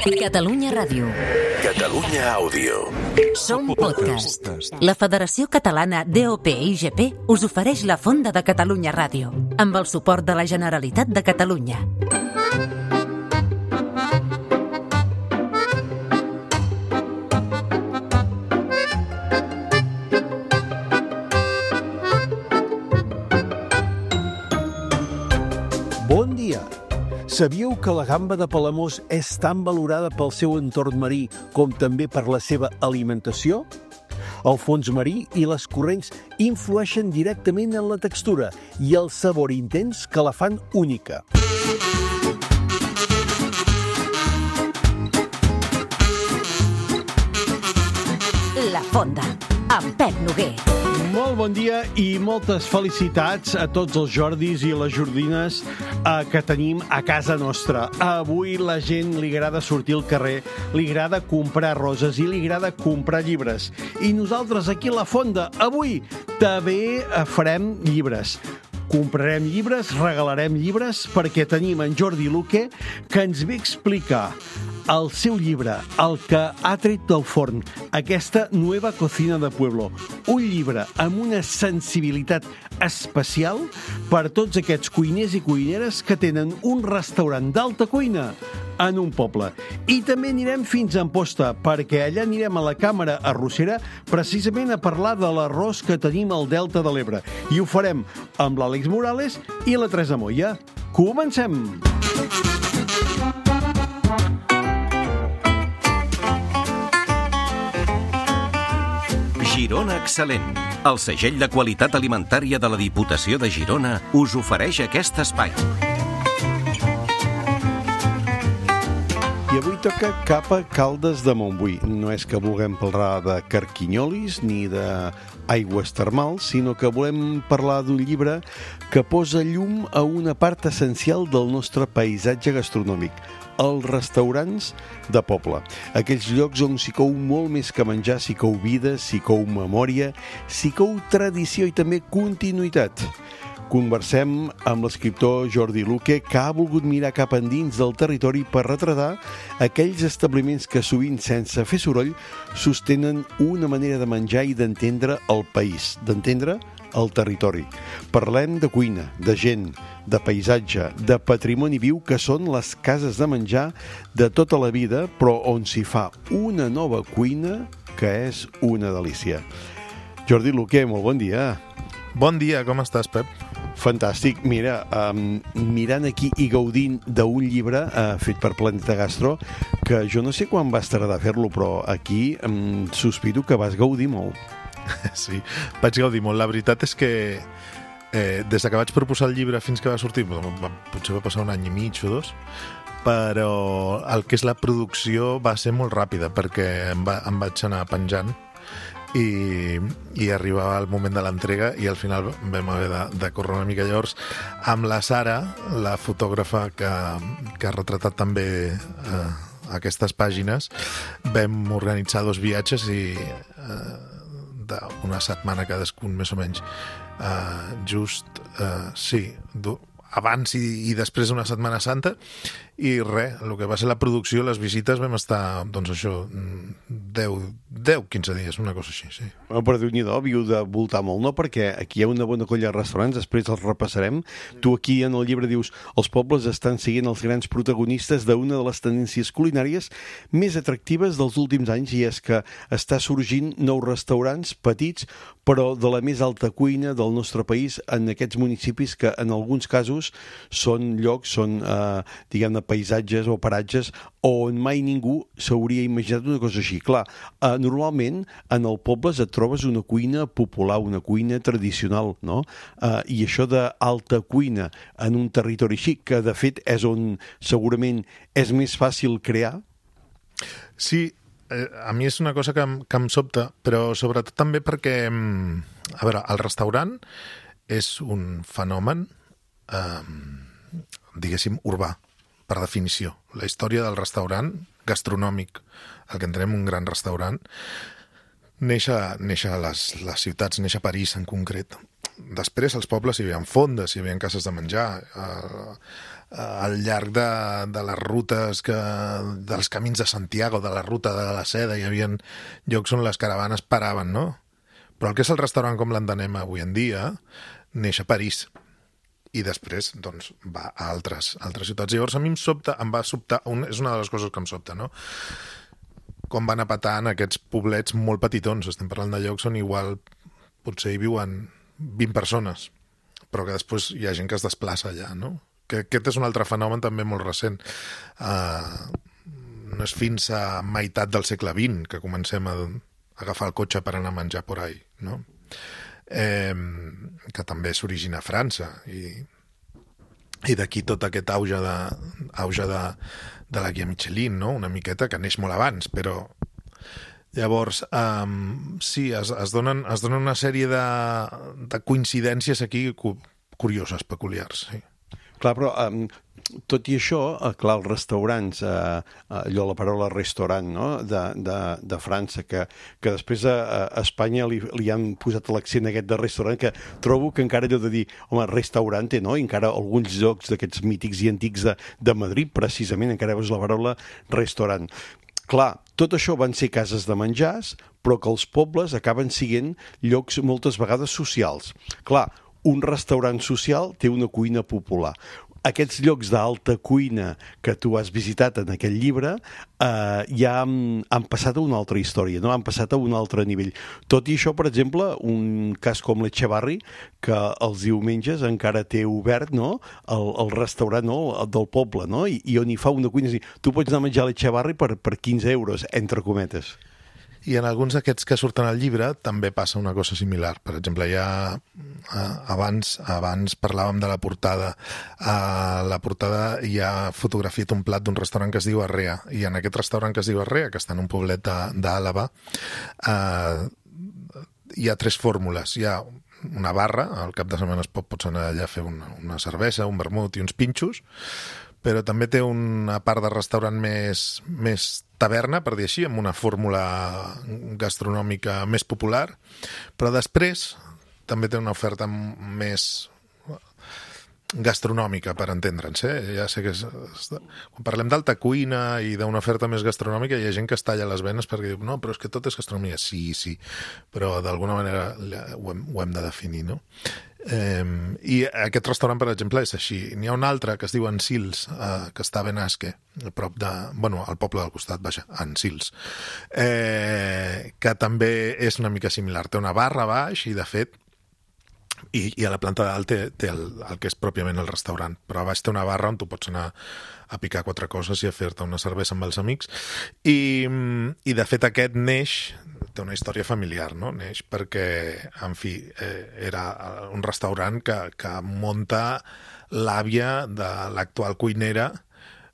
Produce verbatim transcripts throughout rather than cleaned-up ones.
Catalunya Ràdio. Catalunya Àudio. Som podcast. La Federació Catalana D O P I G P us ofereix la Fonda de Catalunya Ràdio, amb el suport de la Generalitat de Catalunya. Bon dia! Sabíeu que la gamba de Palamós és tan valorada pel seu entorn marí com també per la seva alimentació? El fons marí i les corrents influeixen directament en la textura i el sabor intens que la fan única. La Fonda, amb Pep Noguer. Molt bon dia i moltes felicitats a tots els Jordis i les Jordines eh, que tenim a casa nostra. Avui la gent li agrada sortir al carrer, li agrada comprar roses i li agrada comprar llibres. I nosaltres aquí a la Fonda, avui, també farem llibres. Comprarem llibres, regalarem llibres, perquè tenim en Jordi Luque, que ens ve a explicar el seu llibre, el que ha tret del forn, aquesta Nueva Cocina de Pueblo. Un llibre amb una sensibilitat especial per tots aquests cuiners i cuineres que tenen un restaurant d'alta cuina en un poble. I també anirem fins a Amposta, perquè allà anirem a la Càmera Arrossera precisament a parlar de l'arròs que tenim al Delta de l'Ebre. I ho farem amb l'Àlex Morales i la Teresa Moya. Comencem! Girona Excel·lent. El segell de qualitat alimentària de la Diputació de Girona us ofereix aquest espai. I avui toca cap a Caldes de Montbui. No és que vulguem parlar de carquinyolis ni d'aigües termals, sinó que volem parlar d'un llibre que posa llum a una part essencial del nostre paisatge gastronòmic, els restaurants de poble. Aquells llocs on s'hi cou molt més que menjar, s'hi cou vida, s'hi cou memòria, s'hi cou tradició i també continuïtat. Conversem amb l'escriptor Jordi Luque, que ha volgut mirar cap endins del territori per retratar aquells establiments que sovint, sense fer soroll, sostenen una manera de menjar i d'entendre el país, d'entendre el territori. Parlem de cuina, de gent, de paisatge, de patrimoni viu que són les cases de menjar de tota la vida, però on s'hi fa una nova cuina que és una delícia. Jordi Luque, molt bon dia. Bon dia, com estàs, Pep? Fantàstic. Mira, um, mirant aquí i gaudint d'un llibre uh, fet per Planeta Gastro, que jo no sé quan vas tardar a fer-lo, però aquí um, sospito que vas gaudir molt. Sí, vaig gaudir molt. La veritat és que eh, des que vaig proposar el llibre fins que va sortir, potser va passar un any i mig o dos, però el que és la producció va ser molt ràpida, perquè em, va, em vaig anar penjant i, i arribava el moment de l'entrega i al final vam haver de, de córrer una mica. Llavors, amb la Sara, la fotògrafa que, que ha retratat també eh, aquestes pàgines, vam organitzar dos viatges i eh, d'una setmana cadascun, més o menys, uh, just, uh, sí, abans i, i després d'una Setmana Santa, i res, el que va ser la producció, les visites, vam estar, doncs això, deu quinze dies, una cosa així, sí. Bueno, però Déu-n'hi-do, havíeu de voltar molt, no? Perquè aquí hi ha una bona colla de restaurants, després els repassarem. Tu aquí en el llibre dius, els pobles estan siguent els grans protagonistes d'una de les tendències culinàries més atractives dels últims anys, i és que està sorgint nous restaurants petits, però de la més alta cuina del nostre país, en aquests municipis que en alguns casos són llocs, són, eh, diguem-ne, paisatges o paratges on mai ningú s'hauria imaginat una cosa així. Clar, eh, normalment en el poble et trobes una cuina popular, una cuina tradicional, no? Eh, I això d'alta cuina en un territori així, que de fet és on segurament és més fàcil crear. Sí, eh, a mi és una cosa que em, que em sobta, però sobretot també perquè, a veure, el restaurant és un fenomen, eh, diguéssim, urbà, per definició. La història del restaurant gastronòmic, el que entenem un gran restaurant, neix a, neix a les, les ciutats, neix a París en concret. després als pobles hi havia fondes, hi havia cases de menjar, eh, al llarg de, de les rutes, que, dels camins de Santiago, de la ruta de la seda, hi havia llocs on les caravanes paraven, no? Però el que és el restaurant com l'entenem avui en dia neix a París i després doncs, va a altres, altres ciutats. Llavors a mi em sobta, em va sobtar, un, és una de les coses que em sobta, no? Com van a petar en aquests poblets molt petitons. Estem parlant de llocs on igual potser hi viuen vint persones, però que després hi ha gent que es desplaça allà, no? Que aquest és un altre fenomen també molt recent. Uh, no és fins a meitat del segle vint que comencem a agafar el cotxe per anar a menjar por ahí, no? Eh, que també s'origina a França i, i d'aquí tot aquest auge de, auge de, de la guia Michelin, no? Una miqueta que neix molt abans, però llavors um, sí, es, es, donen, es donen una sèrie de, de coincidències aquí curioses, peculiars, sí. Clar, però um, tot i això, eh, clar, els restaurants, eh, allò, la paraula restaurant, no?, de, de, de França, que, que després a, a Espanya li, li han posat l'accent aquest de restaurant, que trobo que encara allò de dir, home, restaurante, no?, i encara alguns llocs d'aquests mítics i antics de, de Madrid, precisament, encara veus la paraula restaurant. Clar, tot això van ser cases de menjars, però que els pobles acaben sent llocs moltes vegades socials. Clar, un restaurant social té una cuina popular. Aquests llocs d'alta cuina que tu has visitat en aquest llibre eh, ja han, han passat a una altra història, no? Han passat a un altre nivell. Tot i això, per exemple, un cas com l'Echevarri, que els diumenges encara té obert, no?, el, el restaurant, no?, del poble, no?, I, i on hi fa una cuina. És dir, tu pots anar a menjar a l'Echevarri per, per quinze euros, entre cometes. I en alguns d'aquests que surten al llibre també passa una cosa similar. Per exemple, ja abans, abans parlàvem de la portada. A la portada hi ha fotografiat un plat d'un restaurant que es diu Arrea, i en aquest restaurant que es diu Arrea, que està en un poblet d'Àlaba, eh, hi ha tres fórmules. Hi ha una barra, al cap de setmana es pot, pots anar allà a fer una, una cervesa, un vermut i uns pinxos, però també té una part de restaurant més, més taverna, per dir així, amb una fórmula gastronòmica més popular, però després també té una oferta més gastronòmica, per entendre'ns, eh? Ja sé que és, quan parlem d'alta cuina i d'una oferta més gastronòmica, hi ha gent que es talla les venes perquè diu, no, però és que tot és gastronomia. Sí, sí, però d'alguna manera ho hem, ho hem de definir, no? Eh, i aquest restaurant, per exemple, és així. N'hi ha un altre que es diu Ensils, eh, que està a Benasque, a prop de, bueno, al poble del costat, vaja, Ensils, eh, que també és una mica similar. Té una barra a baix i, de fet, i, i a la planta dalt té, té el, el que és pròpiament el restaurant, però a baix té una barra on tu pots anar a picar quatre coses i a fer-te una cervesa amb els amics. I, i de fet aquest neix, té una història familiar, no? Neix perquè, en fi, eh, era un restaurant que, que munta l'àvia de l'actual cuinera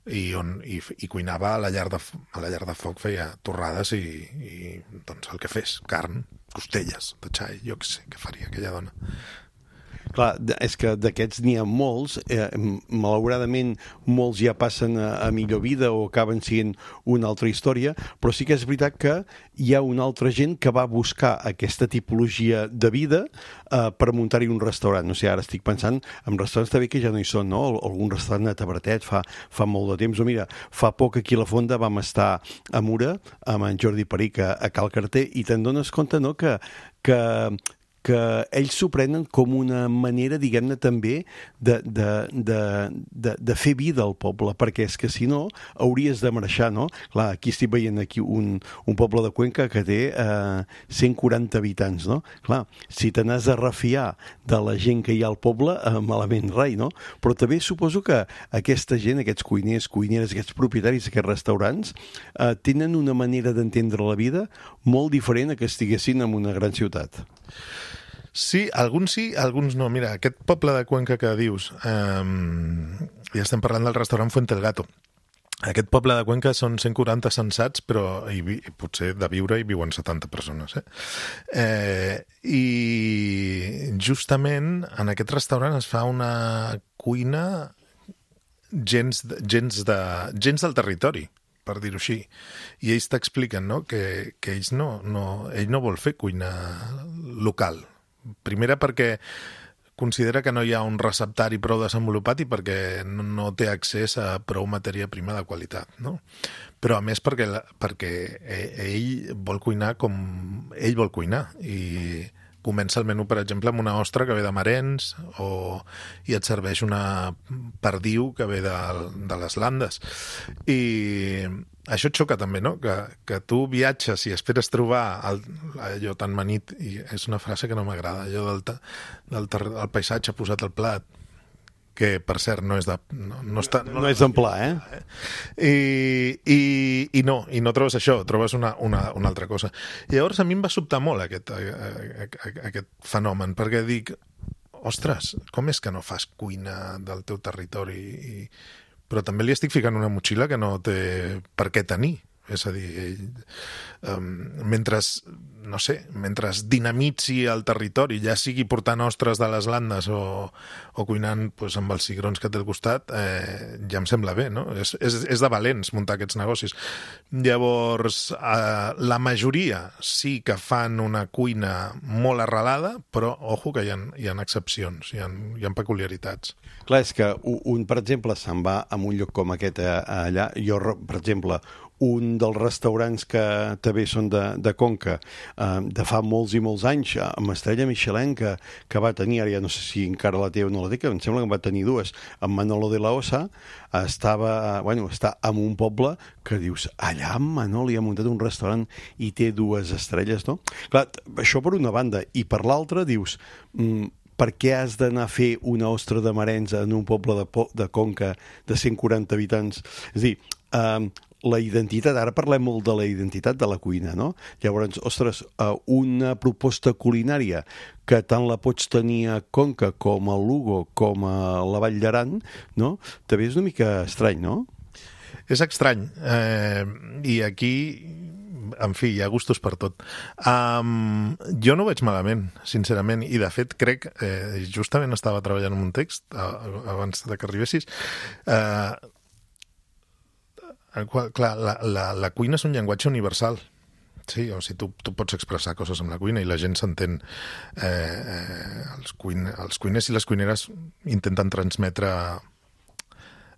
i, on, i, i cuinava a la llar de, a la llar de foc, feia torrades i, i doncs el que fes, carn, costelles de xai, jo què sé, què faria aquella dona. Clar, és que d'aquests n'hi ha molts, eh, malauradament molts ja passen a, a millor vida o acaben sent una altra història, però sí que és veritat que hi ha una altra gent que va buscar aquesta tipologia de vida eh, per muntar-hi un restaurant. O sigui, ara estic pensant en restaurants també que ja no hi són, no? Algun restaurant a Tabratet fa, fa molt de temps. O mira, fa poc aquí a la Fonda vam estar a Mura amb en Jordi Peric a, a Cal Carter i te'n dones compte, no?, que, que que ells s'ho prenen com una manera, diguem-ne, també de, de, de, de, de fer vida al poble, perquè és que si no hauries de marxar, no? Clar, aquí estic veient aquí un, un poble de Cuenca que té eh, cent quaranta habitants, no? Clar, si te n'has de refiar de la gent que hi ha al poble, eh, malament rai, no? Però també suposo que aquesta gent, aquests cuiners, cuineres, aquests propietaris d'aquests restaurants, eh, tenen una manera d'entendre la vida molt diferent a que estiguessin en una gran ciutat. Sí, alguns sí, alguns no. Mira, aquest poble de Cuenca que dius, eh, ja estem parlant del restaurant Fuente el Gato. Aquest poble de Cuenca són cent quaranta censats, però hi, hi, potser de viure hi viuen setanta persones. Eh? Eh, I justament en aquest restaurant es fa una cuina gens, gens, de, gens del territori, per dir-ho així. I ells t'expliquen, no?, que, que ells no, no, ell no vol fer cuina local. Primera perquè considera que no hi ha un receptari prou desenvolupat i perquè no, no té accés a prou matèria prima de qualitat, no? Però a més perquè, perquè ell vol cuinar com ell vol cuinar i comença el menú, per exemple, amb una ostra que ve de Marennes o, i et serveix una perdiu que ve de, de les Landes. I això et xoca també, no? Que, que tu viatges i esperes trobar el, allò tan manit, i és una frase que no m'agrada, allò del, del, del paisatge posat al plat, que per cert no és de... No, no, està, no, no és d'en pla, eh? I, i, i no, i no trobes això, trobes una, una, una altra cosa. I llavors a mi em va sobtar molt aquest, aquest fenomen, perquè dic, ostres, com és que no fas cuina del teu territori? I, però també li estic ficant una motxilla que no té per què tenir. És a dir, ell, um, mentre, no sé, mentre dinamitzi el territori, ja sigui portant ostres de les Landes o, o cuinant pues, amb els cigrons que té al costat, eh, ja em sembla bé, no? És, és, és de valents muntar aquests negocis. Llavors, eh, la majoria sí que fan una cuina molt arrelada, però, ojo, que hi ha, hi ha excepcions, hi ha, hi ha peculiaritats. Clar, és que un, per exemple, se'n va a un lloc com aquest allà. Jo, per exemple, un dels restaurants que també són de, de Conca, eh, de fa molts i molts anys, amb estrella Michelin, que, que va tenir, ara ja no sé si encara la té o no la té, que em sembla que en va tenir dues, amb Manolo de la Osa, estava, bueno, està en un poble que dius, allà en Manolo hi ha muntat un restaurant i té dues estrelles, no? Clar, això per una banda, i per l'altra dius, mm, per què has d'anar a fer una ostra de Marennes en un poble de, de Conca de cent quaranta habitants? És a dir, eh, la identitat, ara parlem molt de la identitat de la cuina, no? Llavors, ostres, una proposta culinària que tant la pots tenir a Conca com a Lugo com a la Vall d'Aran, no? També és una mica estrany, no? És estrany. Eh, I aquí, en fi, hi ha gustos per tot. Um, jo no ho veig malament, sincerament, i de fet crec, eh, justament estava treballant en un text abans de que arribessis, eh, el qual, clar, la, la, la cuina és un llenguatge universal. Sí, o sigui, tu, tu pots expressar coses amb la cuina i la gent s'entén. Eh, eh, els, cuin, els cuiners i les cuineres intenten transmetre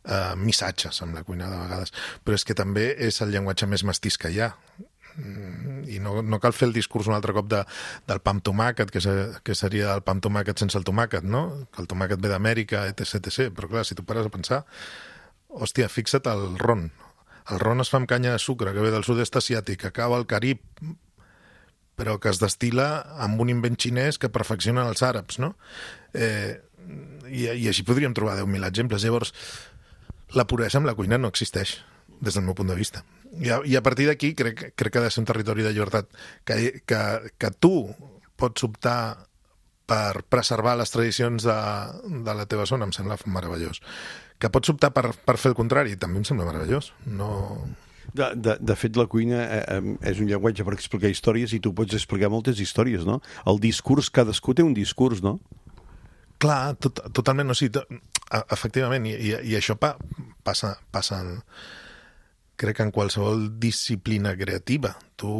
eh, missatges amb la cuina de vegades, però és que també és el llenguatge més mestís que hi ha. I no, no cal fer el discurs un altre cop de, del pa amb tomàquet, que, se, que seria el pa amb tomàquet sense el tomàquet, no? Que el tomàquet ve d'Amèrica, etcètera, etcètera. Però clar, si tu pares a pensar, hòstia, fixa't el ron. El ron es fa amb canya de sucre, que ve del sud-est asiàtic, que acaba al Carib, però que es destil·la amb un invent xinès que perfeccionen els àrabs, no? Eh, i, I així podríem trobar deu mil exemples. Llavors, la puresa amb la cuina no existeix, des del meu punt de vista. I a, i a partir d'aquí crec, crec que ha de ser un territori de llibertat, que, que, que tu pots optar per preservar les tradicions de, de la teva zona, em sembla meravellós. Que pots optar per, per fer el contrari, també em sembla meravellós. No... De, de, de fet, la cuina eh, és un llenguatge per explicar històries i tu pots explicar moltes històries, no? El discurs, cadascú té un discurs, no? Clar, tot, totalment, no, sí, to, efectivament, i, i, i això pa, passa, passa en, crec que en qualsevol disciplina creativa. Tu,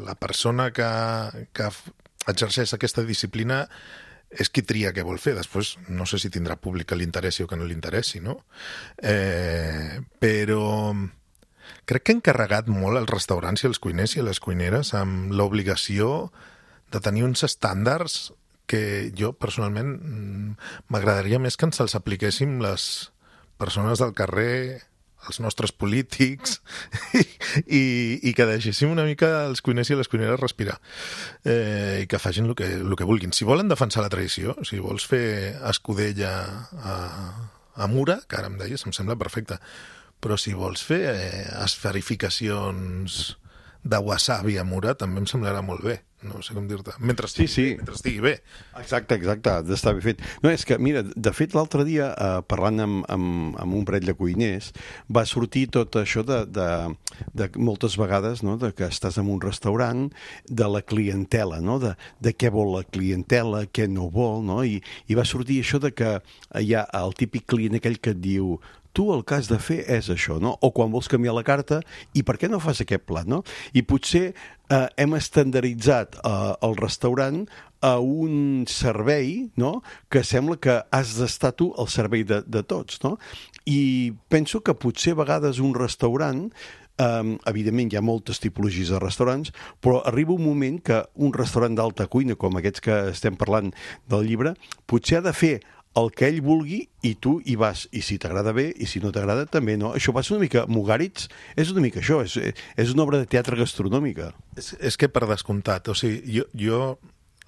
la persona que, que exerceix aquesta disciplina és qui tria què vol fer. Després no sé si tindrà públic que li interessi o que no li interessi, no? Eh, però crec que han carregat molt els restaurants i els cuiners i les cuineres amb l'obligació de tenir uns estàndards que jo personalment m'agradaria més que ens els apliquéssim les persones del carrer, els nostres polítics, i, i, i que deixéssim una mica els cuiners i les cuineres respirar, eh, i que facin el que, el que vulguin. Si volen defensar la tradició, si vols fer escudella a, a Mura, que ara em deies, em sembla perfecte, però si vols fer eh, esferificacions de wasabi a Mura, també em semblarà molt bé. No sé com dir-te. Mentre estigui, sí, sí. Bé, mentre estigui bé. Exacte, exacte, ha d'estar bé fet. No, és que, mira, de fet, l'altre dia, eh, parlant amb, amb, amb un parell de cuiners, va sortir tot això de, de, de moltes vegades, no?, de que estàs en un restaurant, de la clientela, no?, de, de què vol la clientela, què no vol, no?, i, i va sortir això de que hi ha el típic client aquell que et diu tu el que has de fer és això, no? O quan vols canviar la carta, i per què no fas aquest plat, no? I potser eh, hem estandarditzat eh, el restaurant a un servei, no?, que sembla que has d'estar tu al servei de, de tots, no? I penso que potser a vegades un restaurant, Um, evidentment hi ha moltes tipologies de restaurants, però arriba un moment que un restaurant d'alta cuina, com aquests que estem parlant del llibre, potser ha de fer el que ell vulgui i tu hi vas, i si t'agrada bé i si no t'agrada també, no? Això va ser una mica Mugaritz, és una mica això, és, és una obra de teatre gastronòmica. És, és que per descomptat, o sigui, jo, jo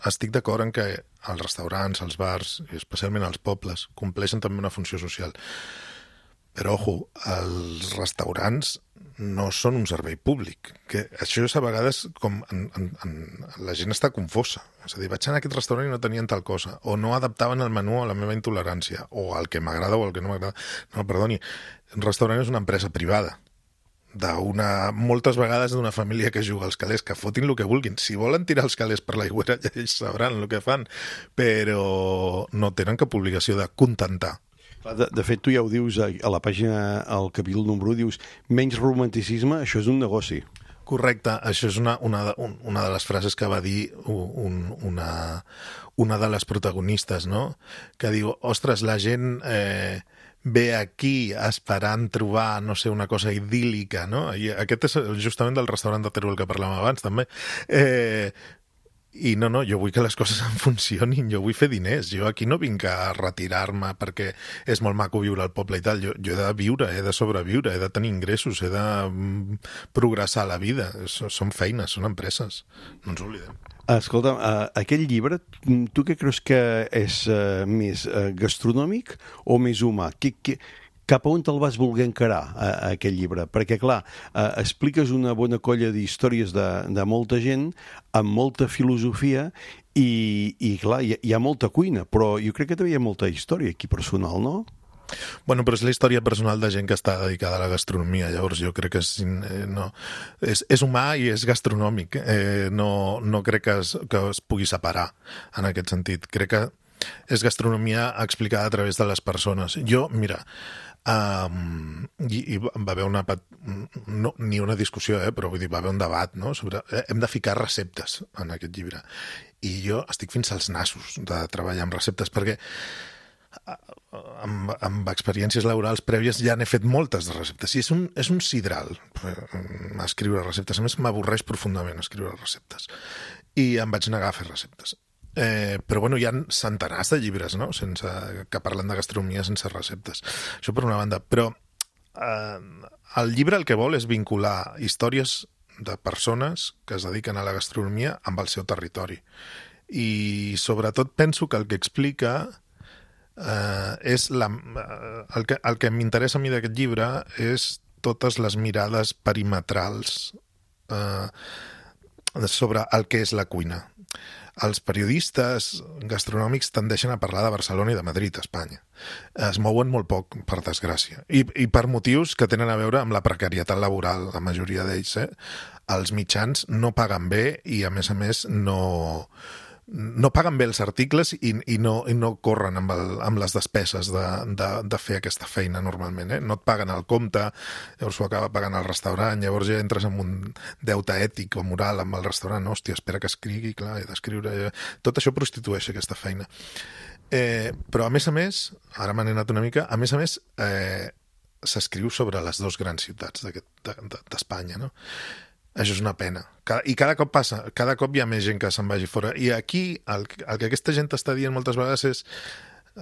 estic d'acord en que els restaurants, els bars, i especialment els pobles, compleixen també una funció social. Però, ojo, els restaurants no són un servei públic. Que això és a vegades com en, en, en, la gent està confosa. És a dir, vaig anar a aquest restaurant i no tenien tal cosa, o no adaptaven el menú a la meva intolerància, o al que m'agrada o al que no m'agrada. No, perdoni, un restaurant és una empresa privada, d'una, moltes vegades d'una família que juga als calés, que fotin el que vulguin. Si volen tirar els calés per l'aigüera, ja ells sabran el que fan, però no tenen cap obligació de contentar. De, de fet, tu ja ho dius a, a la pàgina, al capítol número un, dius menys romanticisme, això és un negoci. Correcte, això és una, una, de, una de les frases que va dir un, una, una de les protagonistes, no? Que diu, ostres, la gent eh, ve aquí esperant trobar, no sé, una cosa idíl·lica, no? I aquest és justament del restaurant de Teruel que parlàvem abans, també. Eh, I no, no, jo vull que les coses en funcionin, jo vull fer diners, jo aquí no vinc a retirar-me perquè és molt maco viure al poble i tal, jo, jo he de viure, he de sobreviure, he de tenir ingressos, he de mm, progressar la vida, són feines, són empreses, no ens oblidem. Escolta, uh, aquest llibre, tu què creus que és uh, més uh, gastronòmic o més humà? Que, que, cap a on te'l vas voler encarar, a, a aquest llibre? Perquè, clar, uh, expliques una bona colla d'històries de, de molta gent, amb molta filosofia, i, i clar, hi, hi ha molta cuina, però jo crec que també hi ha molta història aquí personal, no? Bueno, però és la història personal de gent que està dedicada a la gastronomia, llavors jo crec que és, eh, no, és, és humà i és gastronòmic, eh, no, no crec que es, que es pugui separar en aquest sentit. Crec que és gastronomia explicada a través de les persones. Jo, mira, um, i, i va haver una, no, ni una discussió, eh, però vull dir, va haver un debat, no?, sobre, eh, hem de ficar receptes en aquest llibre. I jo estic fins als nassos de treballar amb receptes, perquè amb, amb experiències laborals prèvies ja n'he fet moltes de receptes i és un, és un sidral escriure receptes, a més m'avorreix profundament escriure receptes i em vaig negar a fer receptes, eh, però bueno, hi ha centenars de llibres, no?, sense, que parlen de gastronomia sense receptes, això per una banda, però eh, el llibre el que vol és vincular històries de persones que es dediquen a la gastronomia amb el seu territori i sobretot penso que el que explica Uh, és la, uh, el que, el que m'interessa a mi d'aquest llibre és totes les mirades perimetrals uh, sobre el que és la cuina. Els periodistes gastronòmics tendeixen a parlar de Barcelona i de Madrid, a Espanya. Es mouen molt poc, per desgràcia. I, i per motius que tenen a veure amb la precarietat laboral, la majoria d'ells. Eh? Els mitjans no paguen bé i, a més a més, no... no paguen bé els articles i, i, no, i no corren amb, el, amb les despeses de, de, de fer aquesta feina normalment, eh? No et paguen el compte, llavors ho acaba pagant el restaurant, llavors ja entres en un deute ètic o moral amb el restaurant, hòstia, espera que escrigui, clar, he d'escriure, tot això prostitueix aquesta feina. Eh, però a més a més, ara m'he anat una mica, a més a més eh, s'escriu sobre les dues grans ciutats d'Espanya, no? Això és una pena. Cada, I cada cop passa, cada cop hi ha més gent que se'n vagi fora. I aquí el, el que aquesta gent t'està dient moltes vegades és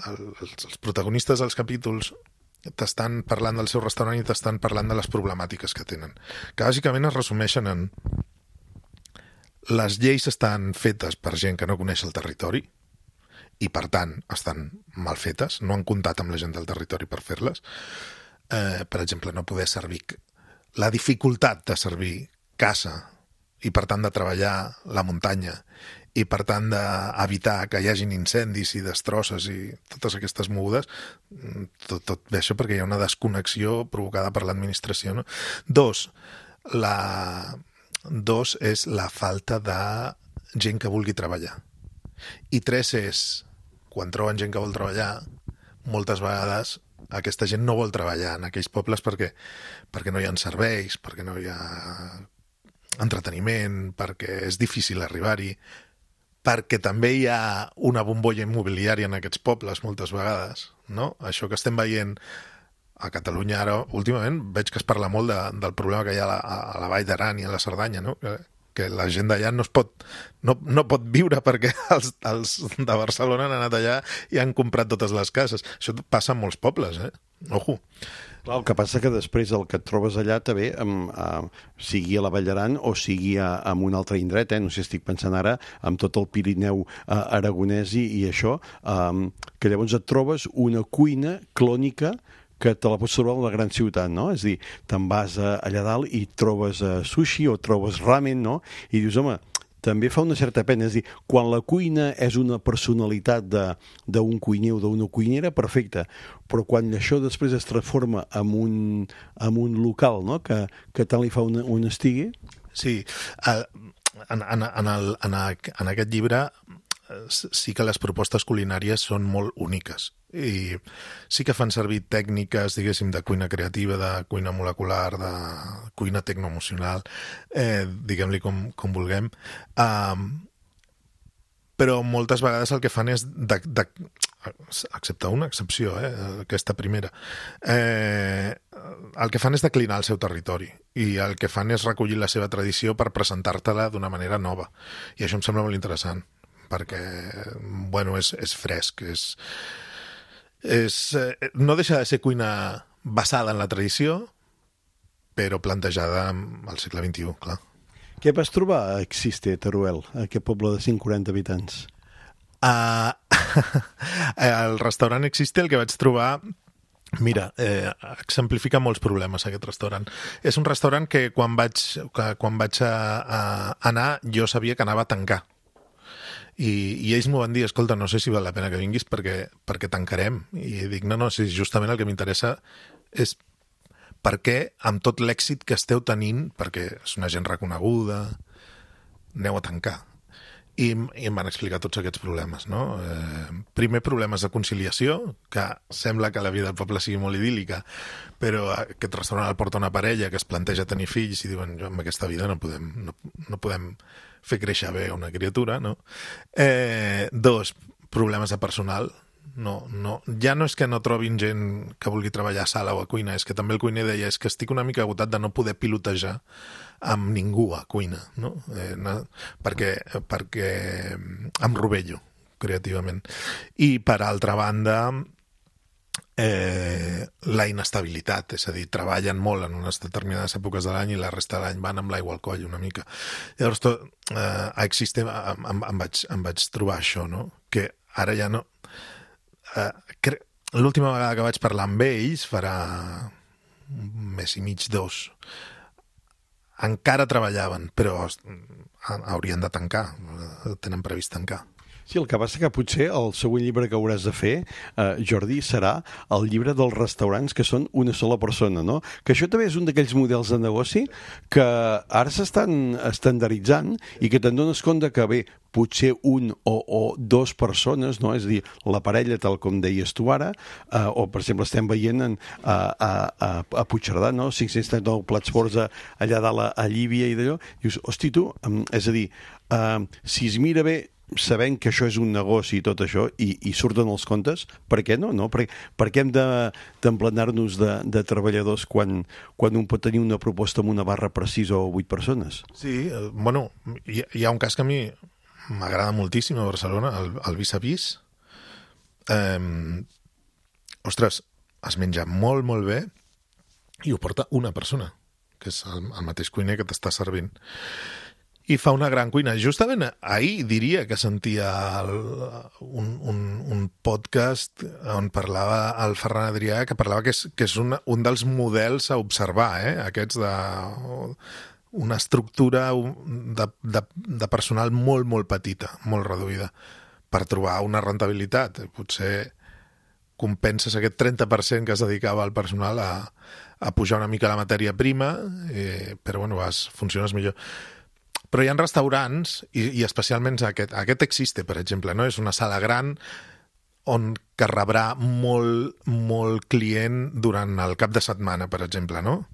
el, els, els protagonistes dels capítols t'estan parlant del seu restaurant i t'estan parlant de les problemàtiques que tenen. Que bàsicament es resumeixen en les lleis estan fetes per gent que no coneix el territori i per tant estan mal fetes, no han comptat amb la gent del territori per fer-les. Eh, per exemple, no poder servir, la dificultat de servir caça i per tant de treballar la muntanya i per tant d'evitar que hi hagin incendis i destrosses i totes aquestes mogudes, tot, tot ve això perquè hi ha una desconnexió provocada per l'administració, no? Dos, la... Dos és la falta de gent que vulgui treballar. I tres és, quan troben gent que vol treballar, moltes vegades aquesta gent no vol treballar en aquells pobles perquè, perquè no hi ha serveis, perquè no hi ha entreteniment, perquè és difícil arribar-hi, perquè també hi ha una bombolla immobiliària en aquests pobles moltes vegades, no? Això que estem veient a Catalunya ara, últimament, veig que es parla molt de, del problema que hi ha a la, a la Vall d'Aran i a la Cerdanya, no? Que, que la gent d'allà no es pot, no, no pot viure perquè els, els de Barcelona han anat allà i han comprat totes les cases. Això passa en molts pobles, eh? Ojo. Clar, el que passa que després el que et trobes allà també, amb, amb, sigui a la Vall d'Aran o sigui a, en un altre indret, eh? No sé, estic pensant ara amb tot el Pirineu eh, aragonès i, i això, eh, que llavors et trobes una cuina clònica que te la pots trobar en la gran ciutat, no? És a dir, te'n vas a, allà dalt i trobes uh, sushi o trobes ramen, no? I dius, home, també fa una certa pena. És a dir, quan la cuina és una personalitat d'un cuiner o d'una cuinera, perfecte. Però quan això després es transforma en un, en un local, no? Que, que tant li fa un, un estigui... Sí, uh, en, en, en, el, en, a, en aquest llibre sí que les propostes culinàries són molt úniques i sí que fan servir tècniques, diguéssim, de cuina creativa, de cuina molecular, de cuina tecnoemocional, eh, diguem-li com, com vulguem, um, però moltes vegades el que fan és, de, de, excepte una excepció, eh, aquesta primera, eh, el que fan és declinar el seu territori i el que fan és recollir la seva tradició per presentar-te-la d'una manera nova. I això em sembla molt interessant, perquè, bueno, és, és fresc, és, és, no deixa de ser cuina basada en la tradició, però plantejada al segle vint-i-u, clar. Què vas trobar a Existe, Teruel, aquest poble de cent quaranta habitants? Uh, el restaurant Existe, el que vaig trobar... Mira, eh, exemplifica molts problemes aquest restaurant. És un restaurant que quan vaig, que, quan vaig a, a anar jo sabia que anava a tancar. I, i ells m'ho van dir, escolta, no sé si val la pena que vinguis perquè, perquè tancarem. I dic, no, no, si justament el que m'interessa és per què, amb tot l'èxit que esteu tenint, perquè és una gent reconeguda, aneu a tancar. I, i em van explicar tots aquests problemes, no? Eh, primer, problemes de conciliació, que sembla que la vida del poble sigui molt idíl·lica, però aquest restaurant el porta una parella que es planteja tenir fills i diuen, jo amb aquesta vida no podem, no, no podem fer créixer bé una criatura, no? Eh, dos, problemes de personal. No, no, ja no és que no trobin gent que vulgui treballar a sala o a cuina, és que també el cuiner deia és que estic una mica agotat de no poder pilotejar amb ningú a cuina, no? Eh, no perquè, perquè em rovello creativament. I per altra banda, eh, la inestabilitat, és a dir, treballen molt en unes determinades èpoques de l'any i la resta de l'any van amb l'aigua al coll una mica. Llavors, tot, eh, a Existe em, em, em, vaig, em vaig trobar això, no? Que ara ja no... Uh, l'última vegada que vaig parlar amb ells, farà un mes i mig, dos, encara treballaven, però haurien de tancar, tenen previst tancar. Sí, el que passa que potser el següent llibre que hauràs de fer, eh, Jordi, serà el llibre dels restaurants que són una sola persona, no? Que això també és un d'aquells models de negoci que ara s'estan estandarditzant i que te'n dones compte que, bé, potser un o, o dos persones, no? És a dir, la parella, tal com deies tu ara, eh, o, per exemple, estem veient en, a, a, a, a Puigcerdà, no? cinc-cents trenta-nou plats forts allà dalt a, a Llívia i d'allò. Dius, hosti, tu, um, és a dir, uh, si es mira bé, sabent que això és un negoci i tot això, i, i surten els comptes, per què no? no? Per, per què hem d'emplenar-nos de, de treballadors quan, quan un pot tenir una proposta amb una barra per sis o vuit persones? Sí, eh, bueno, hi, hi ha un cas que a mi m'agrada moltíssim a Barcelona, el, el Vis a Vis. Eh, ostres, es menja molt, molt bé i ho porta una persona, que és el, el mateix cuiner que t'està servint. I fa una gran cuina. Justament ahir diria que sentia el, un, un, un podcast on parlava el Ferran Adrià, que parlava que és, que és una, un dels models a observar, eh? Aquests de una estructura de, de, de personal molt, molt petita, molt reduïda, per trobar una rentabilitat. Potser compenses aquest trenta per cent que es dedicava al personal a, a pujar una mica la matèria prima, eh, però bueno, vas, funciones millor. Però hi ha restaurants, i, i especialment aquest, aquest Existe, per exemple, no? És una sala gran on que rebrà molt, molt client durant el cap de setmana, per exemple, no?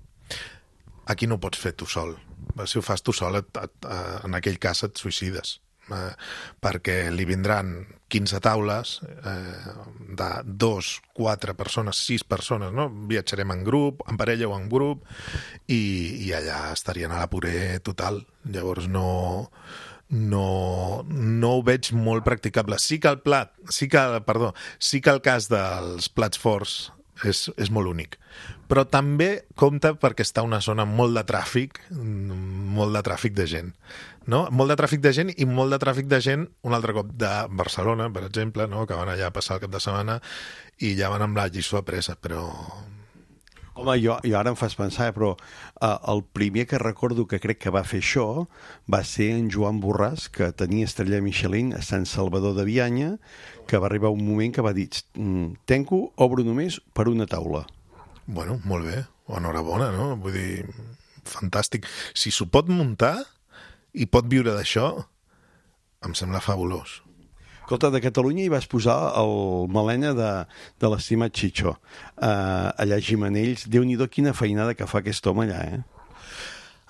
Aquí no ho pots fer tu sol. Si ho fas tu sol, et, et, en aquell cas et suïcides. Eh, perquè li vindran quinze taules eh, de dos, quatre persones, sis persones, no? Viatjarem en grup, en parella o en grup, i, i allà estarien a la puré total. Llavors no, no, no ho veig molt practicable. Sí que el plat, sí que, perdó, sí que el cas dels plats forts és, és molt únic. Però també compta perquè està una zona molt de tràfic, molt de tràfic de gent. No? Molt de tràfic de gent i molt de tràfic de gent, un altre cop, de Barcelona, per exemple, no? Que van allà a passar el cap de setmana i ja van amb la lliçó apresa, però... Home, jo, jo ara em fas pensar, però uh, el primer que recordo que crec que va fer això va ser en Joan Borràs, que tenia estrella Michelin a Sant Salvador de Bianya, que va arribar un moment que va dir tanco, obro només per una taula. Bueno, molt bé, enhorabona, no? Vull dir, fantàstic. Si s'ho pot muntar i pot viure d'això, em sembla fabulós. Escolta, de Catalunya hi vas posar el melena de, de l'estimat Chicho. Uh, allà a Gimenells, Déu-n'hi-do quina feinada que fa aquest home allà, eh?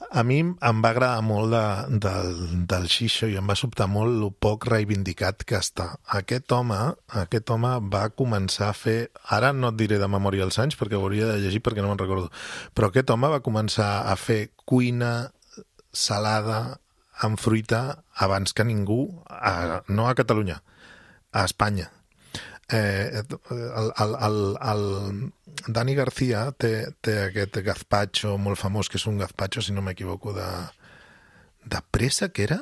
A mi em va agradar molt de, del, del Xixo i em va sobtar molt el poc reivindicat que està. Aquest home, aquest home va començar a fer... Ara no et diré de memòria els anys perquè ho hauria de llegir perquè no me'n recordo. Però aquest home va començar a fer cuina salada amb fruita abans que ningú, a, no a Catalunya, a Espanya. Eh, el, el, el, el Dani García té, té aquest gazpacho molt famós, que és un gazpacho, si no m'equivoco, de, de pressa, que era?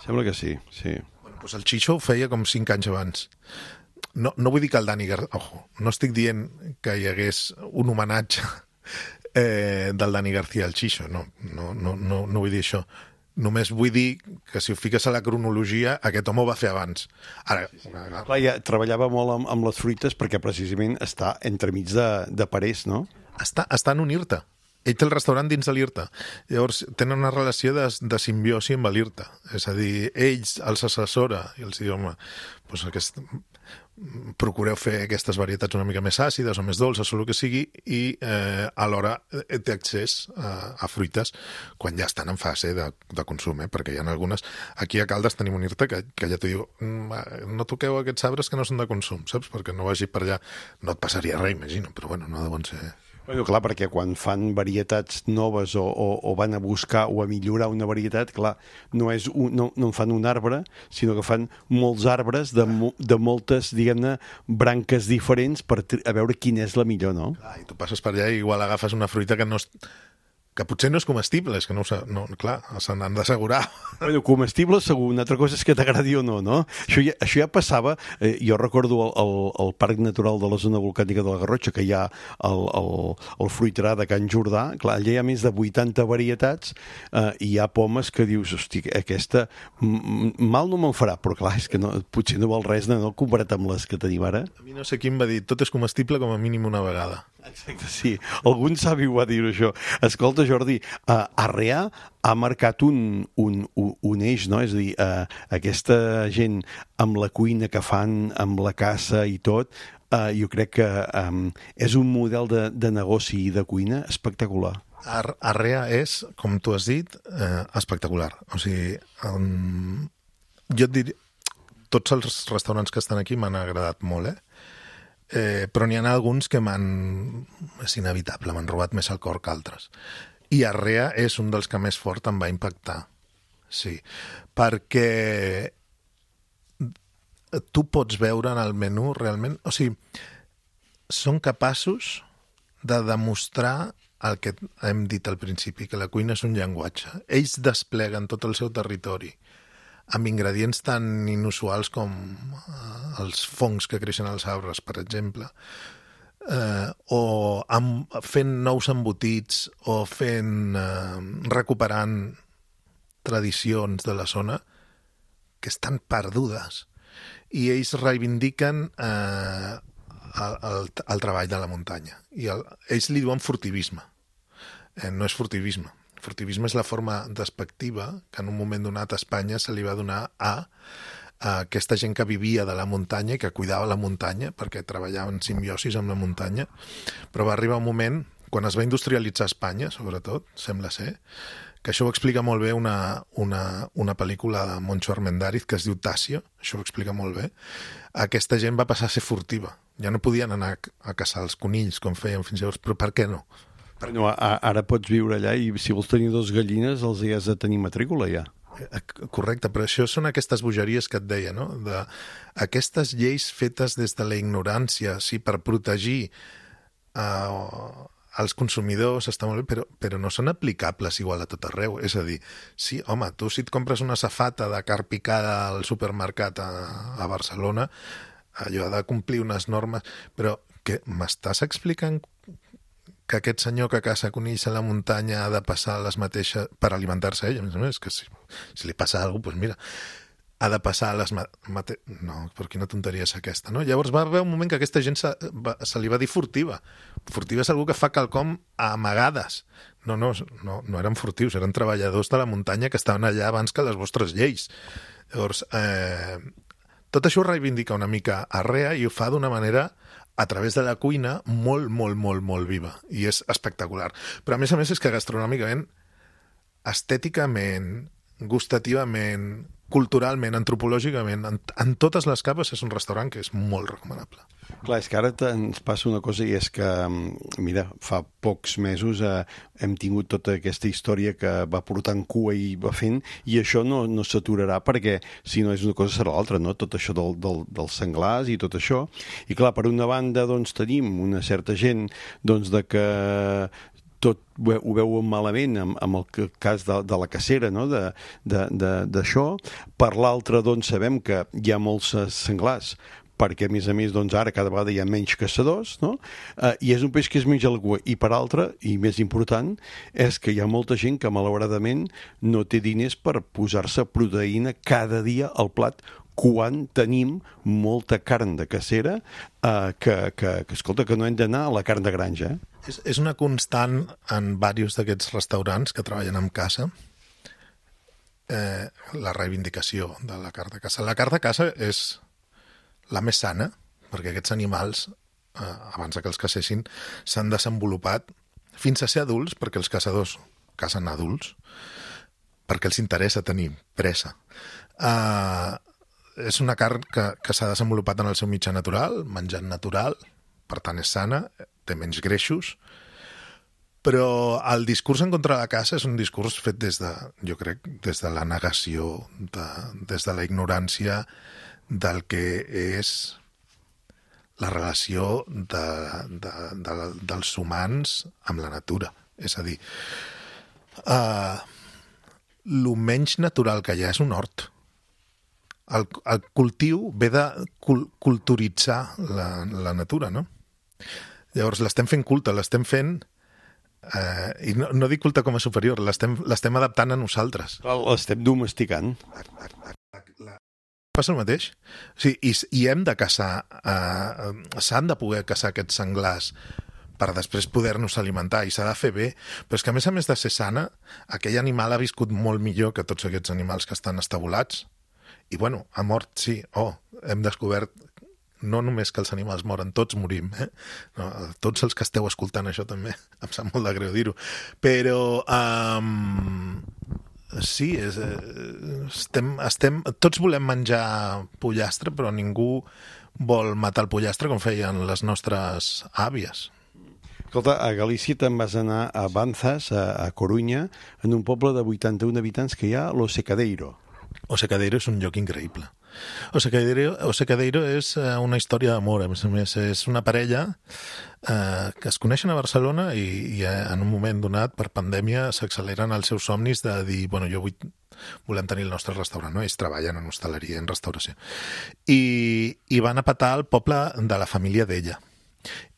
Sembla que sí, sí. Bueno, doncs el Chicho ho feia com cinc anys abans. No, no vull dir que el Dani García... Ojo, no estic dient que hi hagués un homenatge eh, del Dani García al Chicho, no, no, no, no, no vull dir això. Només vull dir que si ho fiques a la cronologia, aquest home ho va fer abans. Ara, clar, ja treballava molt amb, amb les fruites perquè precisament està entremig de, de parers, no? Està, està en un IRTA. Ell té el restaurant dins de l'IRTA. Llavors, tenen una relació de, de simbiosi amb l'IRTA. És a dir, ells els assessora i els diu, home, doncs aquest... procureu fer aquestes varietats una mica més àcides o més dolces o el que sigui i eh, alhora té accés a, a fruites quan ja estan en fase de, de consum, eh? Perquè hi ha algunes... Aquí a Caldes tenim un IRTA que, que ja t'ho diu, no toqueu aquests arbres que no són de consum, saps? Perquè no vagi per allà, no et passaria res, imagino, però bueno, no deuen ser... Bueno, clar, perquè quan fan varietats noves o, o, o van a buscar o a millorar una varietat, clar, no, és un, no, no en fan un arbre, sinó que fan molts arbres de, de moltes, diguem-ne, branques diferents per a veure quina és la millor, no? Clar, i tu passes per allà i igual agafes una fruita que no és... que potser no és comestible, és que no, no clar, se n'han d'assegurar. Bueno, comestible segur, una altra cosa és que t'agradi o no, no? Això ja, això ja passava, eh, jo recordo el, el, el Parc Natural de la Zona Volcànica de la Garrotxa, que hi ha el, el, el fruiterà de Can Jordà, clar, allà hi ha més de vuitanta varietats eh, i hi ha pomes que dius, hosti, aquesta mal no me'n farà, però clar, és que no, potser no val res de no comparat amb les que tenim ara. A mi no sé qui em va dir, tot és comestible com a mínim una vegada. Exacte, sí. Algun savi ho va dir això. Escolta, Jordi, uh, Arreà ha marcat un, un, un eix, no? És a dir, uh, aquesta gent amb la cuina que fan, amb la caça i tot, uh, jo crec que um, és un model de, de negoci i de cuina espectacular. Ar Arrea és, com tu has dit, eh, espectacular. O sigui, um, jo et diria, tots els restaurants que estan aquí m'han agradat molt, eh? Eh, però n'hi ha alguns que m'han... és inevitable, m'han robat més el cor que altres. I Arrea és un dels que més fort em va impactar. Sí, perquè tu pots veure en el menú realment... O sigui, són capaços de demostrar el que hem dit al principi, que la cuina és un llenguatge. Ells despleguen tot el seu territori amb ingredients tan inusuals com els fongs que creixen als arbres, per exemple, eh, o amb, fent nous embotits, o fent, eh, recuperant tradicions de la zona que estan perdudes. I ells reivindiquen eh, el, el, el treball de la muntanya. I el, ells li diuen furtivisme. Eh, no és furtivisme. Furtivisme és la forma despectiva que en un moment donat a Espanya se li va donar a aquesta gent que vivia de la muntanya i que cuidava la muntanya perquè treballava en simbiosis amb la muntanya, però va arribar un moment, quan es va industrialitzar Espanya, sobretot, sembla ser, que això ho explica molt bé una, una, una pel·lícula de Moncho Armendáriz que es diu Tasio, això ho explica molt bé. Aquesta gent va passar a ser furtiva. Ja no podien anar a caçar els conills com feien fins llavors, però per què no? No, ara pots viure allà i si vols tenir dos gallines els hi has de tenir matrícula ja. Correcte, però això són aquestes bogeries que et deia, no? De, aquestes lleis fetes des de la ignorància, sí, per protegir uh, els consumidors, està molt bé, però, però no són aplicables igual a tot arreu. És a dir, sí, home, tu si et compres una safata de carn picada al supermercat a, a Barcelona, allò ha de complir unes normes, però que m'estàs explicant que aquest senyor que caça conills a la muntanya ha de passar les mateixes per alimentar-se ell, a més a més, que si, si li passa alguna cosa, doncs mira, ha de passar les mate... No, però quina tonteria és aquesta, no? Llavors va haver un moment que aquesta gent se, va, se li va dir furtiva. Furtiva és algú que fa quelcom a amagades. No, no, no, no eren furtius, eren treballadors de la muntanya que estaven allà abans que les vostres lleis. Llavors, eh, tot això ho reivindica una mica Arrea i ho fa d'una manera a través de la cuina molt, molt, molt, molt viva. I és espectacular. Però a més a més és que gastronòmicament, estèticament, gustativament, culturalment, antropològicament, en, en totes les capes és un restaurant que és molt recomanable. Clar, és que ara ens passa una cosa i és que, mira, fa pocs mesos eh, hem tingut tota aquesta història que va portant cua i va fent, i això no, no s'aturarà perquè si no és una cosa serà l'altra, no? Tot això del, del, dels senglars i tot això. I clar, per una banda doncs tenim una certa gent doncs de que tot ho veuen malament amb, amb el cas de, de la cacera, no? d'això. Per l'altra, doncs, sabem que hi ha molts senglars, perquè, a més a més, doncs, ara cada vegada hi ha menys caçadors, no? Eh, i és un peix que es menja la cua. I per altra, i més important, és que hi ha molta gent que, malauradament, no té diners per posar-se proteïna cada dia al plat, quan tenim molta carn de cacera eh, que, que, que, escolta, que no hem d'anar a la carn de granja, eh? És, és una constant en diversos d'aquests restaurants que treballen amb caça, eh, la reivindicació de la carn de caça. La carn de caça és la més sana, perquè aquests animals, eh, abans que els cacessin, s'han desenvolupat fins a ser adults, perquè els caçadors cacen adults, perquè els interessa tenir pressa. Eh, és una carn que, que s'ha desenvolupat en el seu mitjà natural, menjant natural, per tant és sana, té menys greixos, però el discurs en contra de la caça és un discurs fet des de, jo crec, des de la negació, de, des de la ignorància del que és la relació de, de, de, dels humans amb la natura. És a dir, uh, lo menys natural que hi ha és un hort. El, el cultiu ve de cul culturitzar la, la natura, no? Llavors l'estem fent culte, l'estem fent, eh, i no, no dic culte com a superior, l'estem adaptant a nosaltres. L'estem domesticant. Passa el mateix. O sigui, i, i hem de caçar, eh, s'han de poder caçar aquests senglars per després poder-nos alimentar, i s'ha de fer bé, però és que a més a més de ser sana, aquell animal ha viscut molt millor que tots aquests animals que estan estabulats, i bueno, ha mort, sí, oh, hem descobert no només que els animals moren, tots morim, eh? No, tots els que esteu escoltant això també, em sap molt de greu dir-ho, però um, sí, és, estem, estem, tots volem menjar pollastre, però ningú vol matar el pollastre com feien les nostres àvies. Escolta, a Galícia te'n vas anar a Banzas, a, a Corunya, en un poble de vuitanta-un habitants que hi ha, Lo Secadeiro. O Secadeiro és un lloc increïble. O Secadeiro, o Secadeiro és una història d'amor, a més a més. És una parella eh, que es coneixen a Barcelona i, i en un moment donat, per pandèmia, s'acceleren els seus somnis de dir, bueno, jo vull, volem tenir el nostre restaurant, no? Ells treballen en hostaleria, en restauració. I, i van a petar al poble de la família d'ella.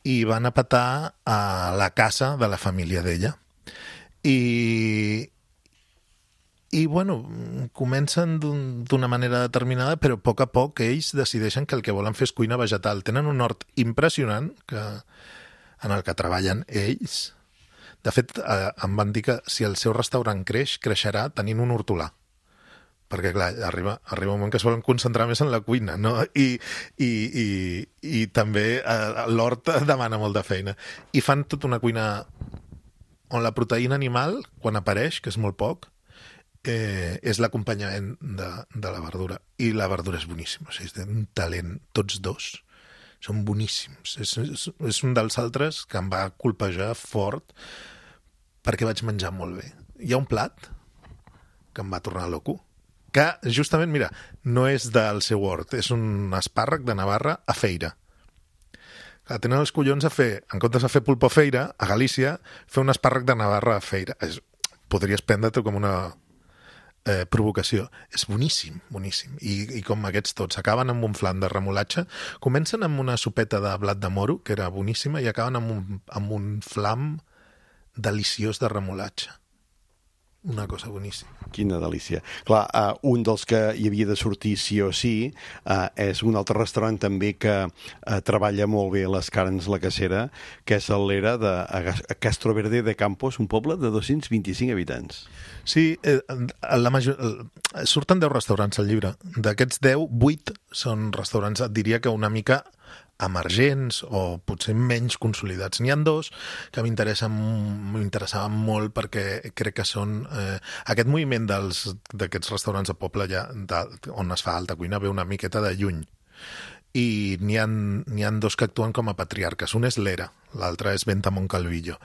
I van a petar a la casa de la família d'ella. I... I, bueno, comencen d'una manera determinada, però a poc a poc ells decideixen que el que volen fer és cuina vegetal. Tenen un hort impressionant que, en el que treballen ells. De fet, eh, em van dir que si el seu restaurant creix, creixerà tenint un hortolà. perquè clar, arriba, arriba un moment que es volen concentrar més en la cuina, no? I, i, i, i també eh, l'hort demana molta feina. I fan tota una cuina on la proteïna animal, quan apareix, que és molt poc, eh, és l'acompanyament de, de la verdura. I la verdura és boníssima, o sigui, és un talent, tots dos són boníssims. És, és, és un dels altres que em va colpejar fort perquè vaig menjar molt bé. Hi ha un plat que em va tornar loco, que justament, mira, no és del seu hort, és un espàrrec de Navarra a feira. Clar, tenen els collons a fer, en comptes de fer pulpo a feira, a Galícia, fer un espàrrec de Navarra a feira. És, podries prendre-t'ho com una eh, provocació. És boníssim, boníssim. I, I com aquests tots, acaben amb un flam de remolatge, comencen amb una sopeta de blat de moro, que era boníssima, i acaben amb un, amb un flam deliciós de remolatge. Una cosa boníssima. Quina delícia. Clar, uh, un dels que hi havia de sortir sí o sí uh, és un altre restaurant també que uh, treballa molt bé les carns, la cacera, que és el Lera de a Castro Verde de Campos, un poble de dos-cents vint-i-cinc habitants. Sí, eh, la major... surten deu restaurants al llibre. D'aquests deu, vuit són restaurants, et diria que una mica emergents o potser menys consolidats. N'hi ha dos que m'interessaven molt perquè crec que són... Eh, aquest moviment dels d'aquests restaurants de poble ja, de, on es fa alta cuina ve una miqueta de lluny. I n'hi ha, n'hi ha dos que actuen com a patriarques. Un és l'Era, l'altre és Venta Moncalvillo.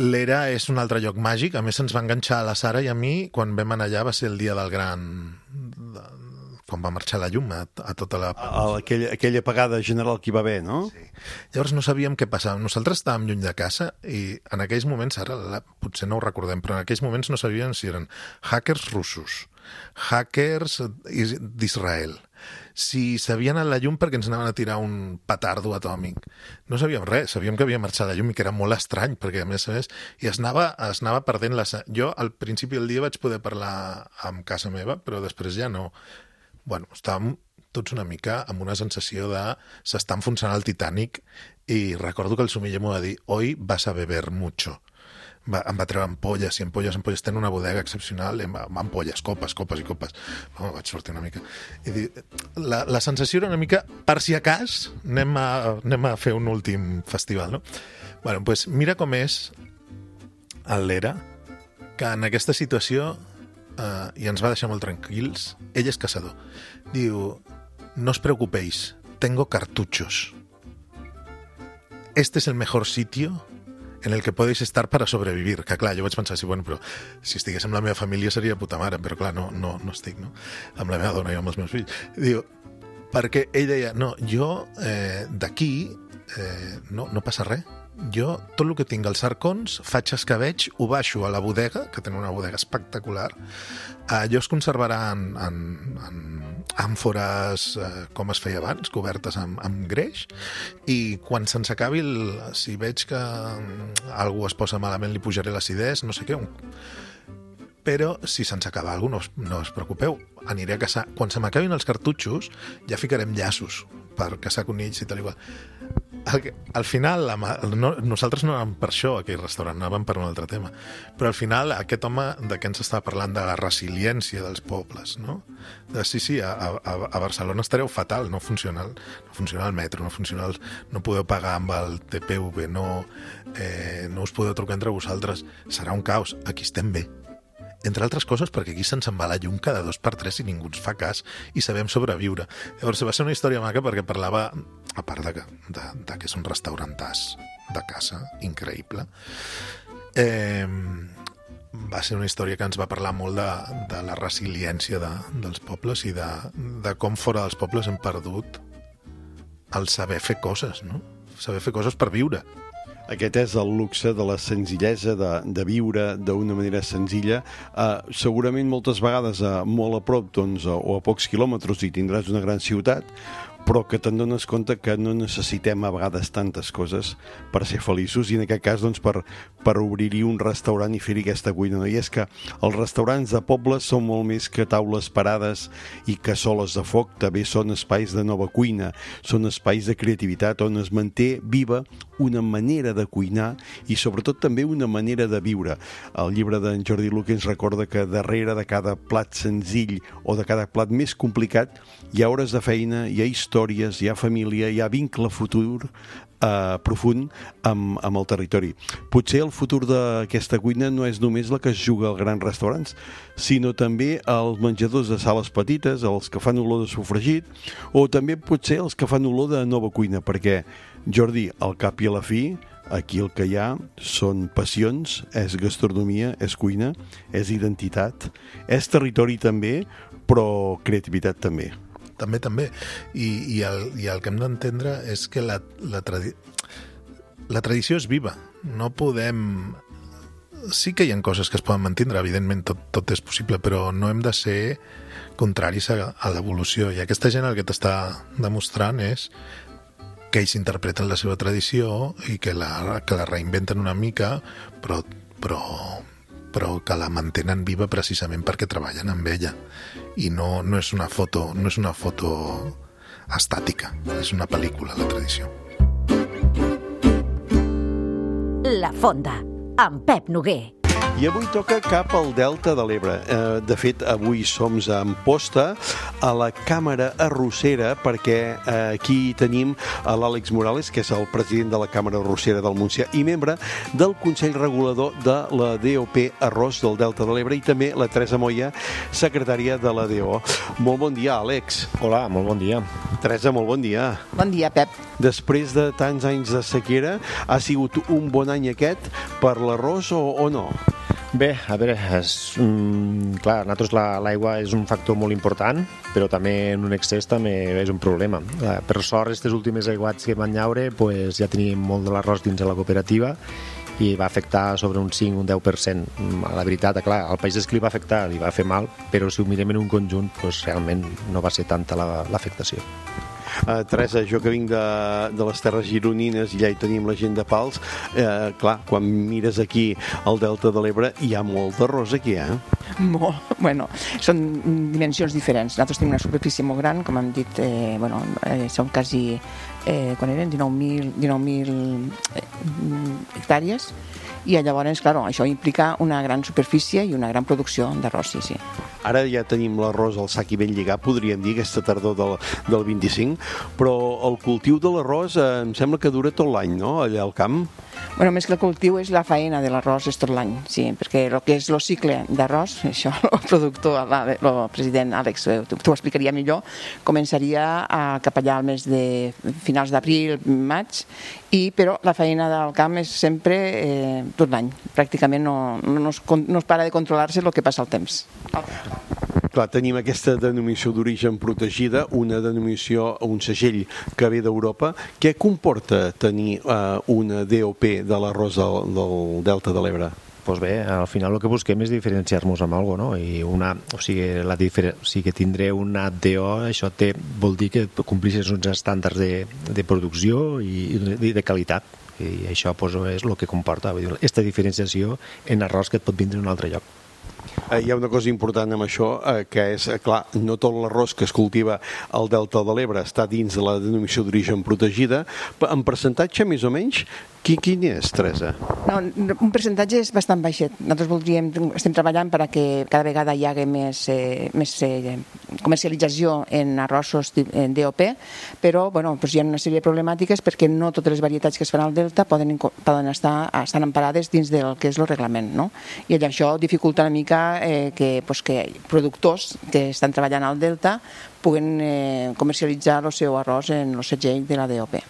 L'Era és un altre lloc màgic. A més, ens va enganxar a la Sara i a mi quan vam anar allà va ser el dia del gran... De, quan va marxar la llum a, a tota la... A, aquella, aquella apagada general que hi va haver, no? Sí. Llavors no sabíem què passava. Nosaltres estàvem lluny de casa i en aquells moments, ara la, potser no ho recordem, però en aquells moments no sabíem si eren hackers russos, hackers d'Israel, si s'havien anat la llum perquè ens anaven a tirar un petardo atòmic. No sabíem res, sabíem que havia marxat la llum i que era molt estrany, perquè a més a més, i es anava, es anava perdent la... Jo al principi del dia vaig poder parlar amb casa meva, però després ja no... Bueno, estàvem tots una mica amb una sensació de s'està enfonsant el Titanic i recordo que el Sumiller m'ho va dir hoy vas a beber mucho. Va, em va treure ampolles i ampolles, ampolles. Tenen una bodega excepcional, ampolles, copes, copes i copes. Oh, vaig sortir una mica. I dir, la, la sensació era una mica, per si a cas, anem a, anem a fer un últim festival, no? Bueno, doncs mira com és el Lera, que en aquesta situació Uh, i ens va deixar molt tranquils. Ell és caçador. Diu, no os preocupéis, tengo cartuchos. Este es el mejor sitio en el que podéis estar para sobrevivir. Que clar, jo vaig pensar, sí, bueno, però si estigués amb la meva família seria puta mare, però clar, no, no, no estic, no? Amb la meva dona i amb els meus fills. Diu, perquè ell deia, no, jo eh, d'aquí eh, no, no passa res. Jo, tot el que tinc als arcons, faig escabeig, ho baixo a la bodega, que tenen una bodega espectacular. Allò es conservarà en, en, en àmfores eh, com es feia abans, cobertes amb, amb greix, i quan se'ns acabi, el, si veig que algú es posa malament, li pujaré l'acidès, no sé què. Però si se'ns acaba alguna cosa, no, no us preocupeu, aniré a caçar. Quan se m'acabin els cartutxos, ja ficarem llaços per caçar conills i tal i qual. Al, al final, la, no, nosaltres no anàvem per això, aquell restaurant, anàvem per un altre tema. Però al final, aquest home de què ens estava parlant? De la resiliència dels pobles, no? De, sí, sí, a, a, a Barcelona estareu fatal, no funciona, no funciona el metro, no funciona el, no podeu pagar amb el T P V, no, eh, no us podeu trucar entre vosaltres, serà un caos. Aquí estem bé. Entre altres coses perquè aquí se'ns en va la llum cada dos per tres i ningú ens fa cas i sabem sobreviure. Llavors va ser una història maca perquè parlava, a part de, de, de que és un restaurantàs de casa, increïble, eh, va ser una història que ens va parlar molt de, de la resiliència de, dels pobles i de, de com fora dels pobles hem perdut el saber fer coses, no? Saber fer coses per viure. Aquest és el luxe de la senzillesa, de, de viure d'una manera senzilla. Uh, segurament moltes vegades uh, molt a prop doncs, o a pocs quilòmetres hi tindràs una gran ciutat, però que te'n dones compte que no necessitem a vegades tantes coses per ser feliços, i en aquest cas doncs, per, per obrir-hi un restaurant i fer-hi aquesta cuina. No? I és que els restaurants de pobles són molt més que taules parades i cassoles de foc, també són espais de nova cuina, són espais de creativitat on es manté viva una manera de cuinar i sobretot també una manera de viure. El llibre d'en Jordi Luque ens recorda que darrere de cada plat senzill o de cada plat més complicat hi ha hores de feina, hi ha històries, hi ha família, hi ha vincle futur eh, profund amb, amb el territori. Potser el futur d'aquesta cuina no és només la que es juga als grans restaurants, sinó també als menjadors de sales petites, els que fan olor de sofregit, o també potser els que fan olor de nova cuina, perquè, Jordi, al cap i a la fi, aquí el que hi ha són passions, és gastronomia, és cuina, és identitat, és territori també, però creativitat també. També, també. I, i, el, i el que hem d'entendre és que la, la, tradi... la tradició és viva. No podem... Sí que hi ha coses que es poden mantindre, evidentment tot, tot és possible, però no hem de ser contraris a, a l'evolució. I aquesta gent el que t'està demostrant és que ells interpreten la seva tradició i que la, que la reinventen una mica, però, però, però que la mantenen viva precisament perquè treballen amb ella. I no, no és una foto, no és una foto estàtica, és una pel·lícula, la tradició. La Fonda, amb Pep Noguer. I avui toca cap al Delta de l'Ebre. Eh, de fet, avui som a Amposta, a la Càmera Arrossera, perquè eh, aquí tenim a l'Àlex Morales, que és el president de la Càmera Arrossera del Montsià i membre del Consell Regulador de la D O P Arròs del Delta de l'Ebre, i també la Teresa Moya, secretària de la D O. Molt bon dia, Àlex. Hola, molt bon dia. Teresa, molt bon dia. Bon dia, Pep. Després de tants anys de sequera, ha sigut un bon any aquest per l'arròs o, o no? Bé, a veure, és, mm, clar, nosaltres l'aigua és un factor molt important, però també en un excés també és un problema. Per sort, aquestes últimes aiguats que van llaure, pues, ja teníem molt de l'arròs dins de la cooperativa i va afectar sobre un cinc o un deu per cent. La veritat, clar, al país és que li va afectar, li va fer mal, però si ho mirem en un conjunt, pues, realment no va ser tanta l'afectació. Uh, Teresa, jo que vinc de, de les terres gironines i ja hi tenim la gent de Pals, eh, clar, quan mires aquí al Delta de l'Ebre hi ha molt d'arròs aquí, eh? Molt, bueno, són dimensions diferents. Nosaltres tenim una superfície molt gran, com hem dit, eh, bueno, eh, són quasi, eh, quan eren dinou mil hectàrees, i llavors, clar, això implica una gran superfície i una gran producció d'arròs, sí, sí. Ara ja tenim l'arròs al sac i ben lligat, podríem dir, aquesta tardor del, del vint-i-cinc, però el cultiu de l'arròs eh, em sembla que dura tot l'any, no?, allà al camp. Bueno, més que el cultiu és la faena de l'arròs és tot l'any, sí, perquè el que és el cicle d'arròs, això el productor, el president Àlex, t'ho explicaria millor, començaria a, cap allà al mes de finals d'abril, maig, i, però la feina del camp és sempre eh, tot l'any, pràcticament no, no, es, no es para de controlar-se el que passa al temps. Clar, tenim aquesta denominació d'origen protegida, una denominació, un segell que ve d'Europa. Què comporta tenir eh, una D O P de l'arròs del, del Delta de l'Ebre? Pues bé, al final el que busquem és diferenciar-nos amb alguna cosa, no? I una, o sigui, la difer... o sigui, que tindré una D O, això té, vol dir que complixes uns estàndards de, de producció i de, de qualitat. I això pues, és el que comporta, vull dir, aquesta diferenciació en arròs que et pot vindre en un altre lloc. Hi ha una cosa important amb això, eh, que és, clar, no tot l'arròs que es cultiva al Delta de l'Ebre està dins de la denominació d'origen protegida. En percentatge, més o menys, Qui, quin és, Teresa? No, un percentatge és bastant baixet. Nosaltres voldríem, estem treballant perquè cada vegada hi hagi més, eh, més eh, comercialització en arrossos en D O P, però bueno, doncs hi ha una sèrie de problemàtiques perquè no totes les varietats que es fan al Delta poden, poden estar estan emparades dins del que és el reglament, no? I això dificulta una mica eh, que, doncs, que productors que estan treballant al Delta puguen eh, comercialitzar el seu arròs en el segell de la D O P.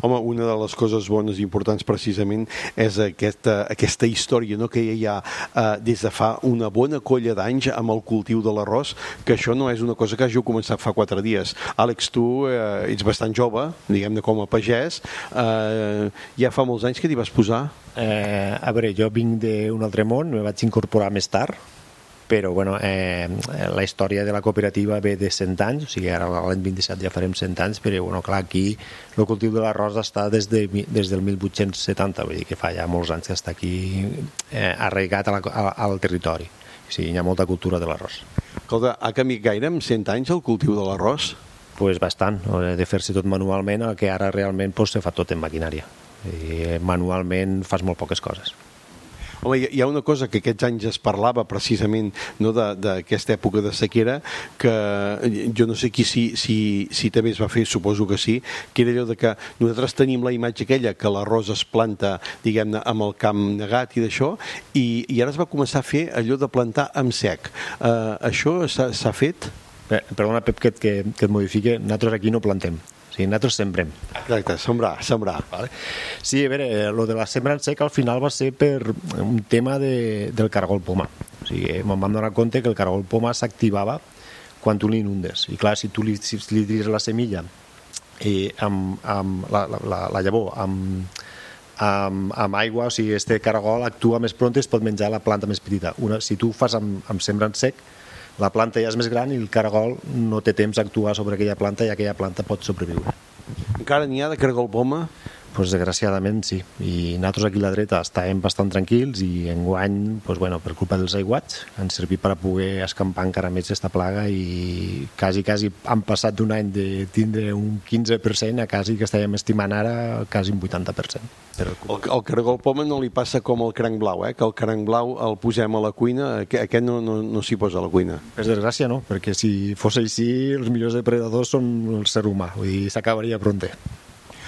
Home, una de les coses bones i importants precisament és aquesta, aquesta història, no?, que hi ha eh, des de fa una bona colla d'anys amb el cultiu de l'arròs, que això no és una cosa que hàgiu començat fa quatre dies. Àlex, tu eh, ets bastant jove, diguem-ne com a pagès, eh, ja fa molts anys que t'hi vas posar? Eh, a veure, jo vinc d'un altre món, me vaig incorporar més tard, però bueno, eh, la història de la cooperativa ve de cent anys, o sigui, ara l'any vint-i-set ja farem cent anys, però bueno, clar, aquí el cultiu de l'arròs està des, de, des del mil vuit-cents setanta, vull dir que fa ja molts anys que està aquí eh, arraigat a la, a, al territori. O sigui, hi ha molta cultura de l'arròs. Escolta, ha canviat gaire en cent anys el cultiu de l'arròs? Pues bastant, de fer-se tot manualment, el que ara realment pues, se fa tot en maquinària. I manualment fas molt poques coses. Home, hi ha una cosa que aquests anys es parlava precisament no, d'aquesta època de sequera, que jo no sé qui si, si, si també es va fer, suposo que sí, que era allò de que nosaltres tenim la imatge aquella que l'arròs es planta, diguem-ne, amb el camp negat i d'això, i, i ara es va començar a fer allò de plantar amb sec. Uh, això s'ha fet? Eh, perdona, Pep, que, que, que et modifique, nosaltres aquí no plantem. O sigui, nosaltres sembrem. Exacte, sembrar, sembrar. Vale. Sí, a veure, el de la sembra en sec al final va ser per un tema de, del caragol poma. O sigui, me'n vam donar compte que el caragol poma s'activava quan tu l'inundes. I clar, si tu li, si li tires la semilla i amb, amb la, la, la llavor amb, amb, amb aigua, o sigui, este caragol actua més pront i es pot menjar la planta més petita. Una, si tu fas amb, amb sembra en sec, la planta ja és més gran i el caragol no té temps d'actuar sobre aquella planta i aquella planta pot sobreviure. Encara n'hi ha de caragol poma? Pues desgraciadament sí, i nosaltres aquí a la dreta estàvem bastant tranquils i enguany, pues bueno, per culpa dels aiguats han servit per a poder escampar encara més aquesta plaga i quasi, quasi han passat d'un any de tindre un quinze per cent a quasi que estàvem estimant ara quasi un vuitanta per cent. El, el caragol poma no li passa com el cranc blau, eh? Que el cranc blau el posem a la cuina, aquest no, no, no s'hi posa a la cuina. Per desgràcia no, perquè si fos així els millors depredadors són el ser humà, vull dir, s'acabaria pronte.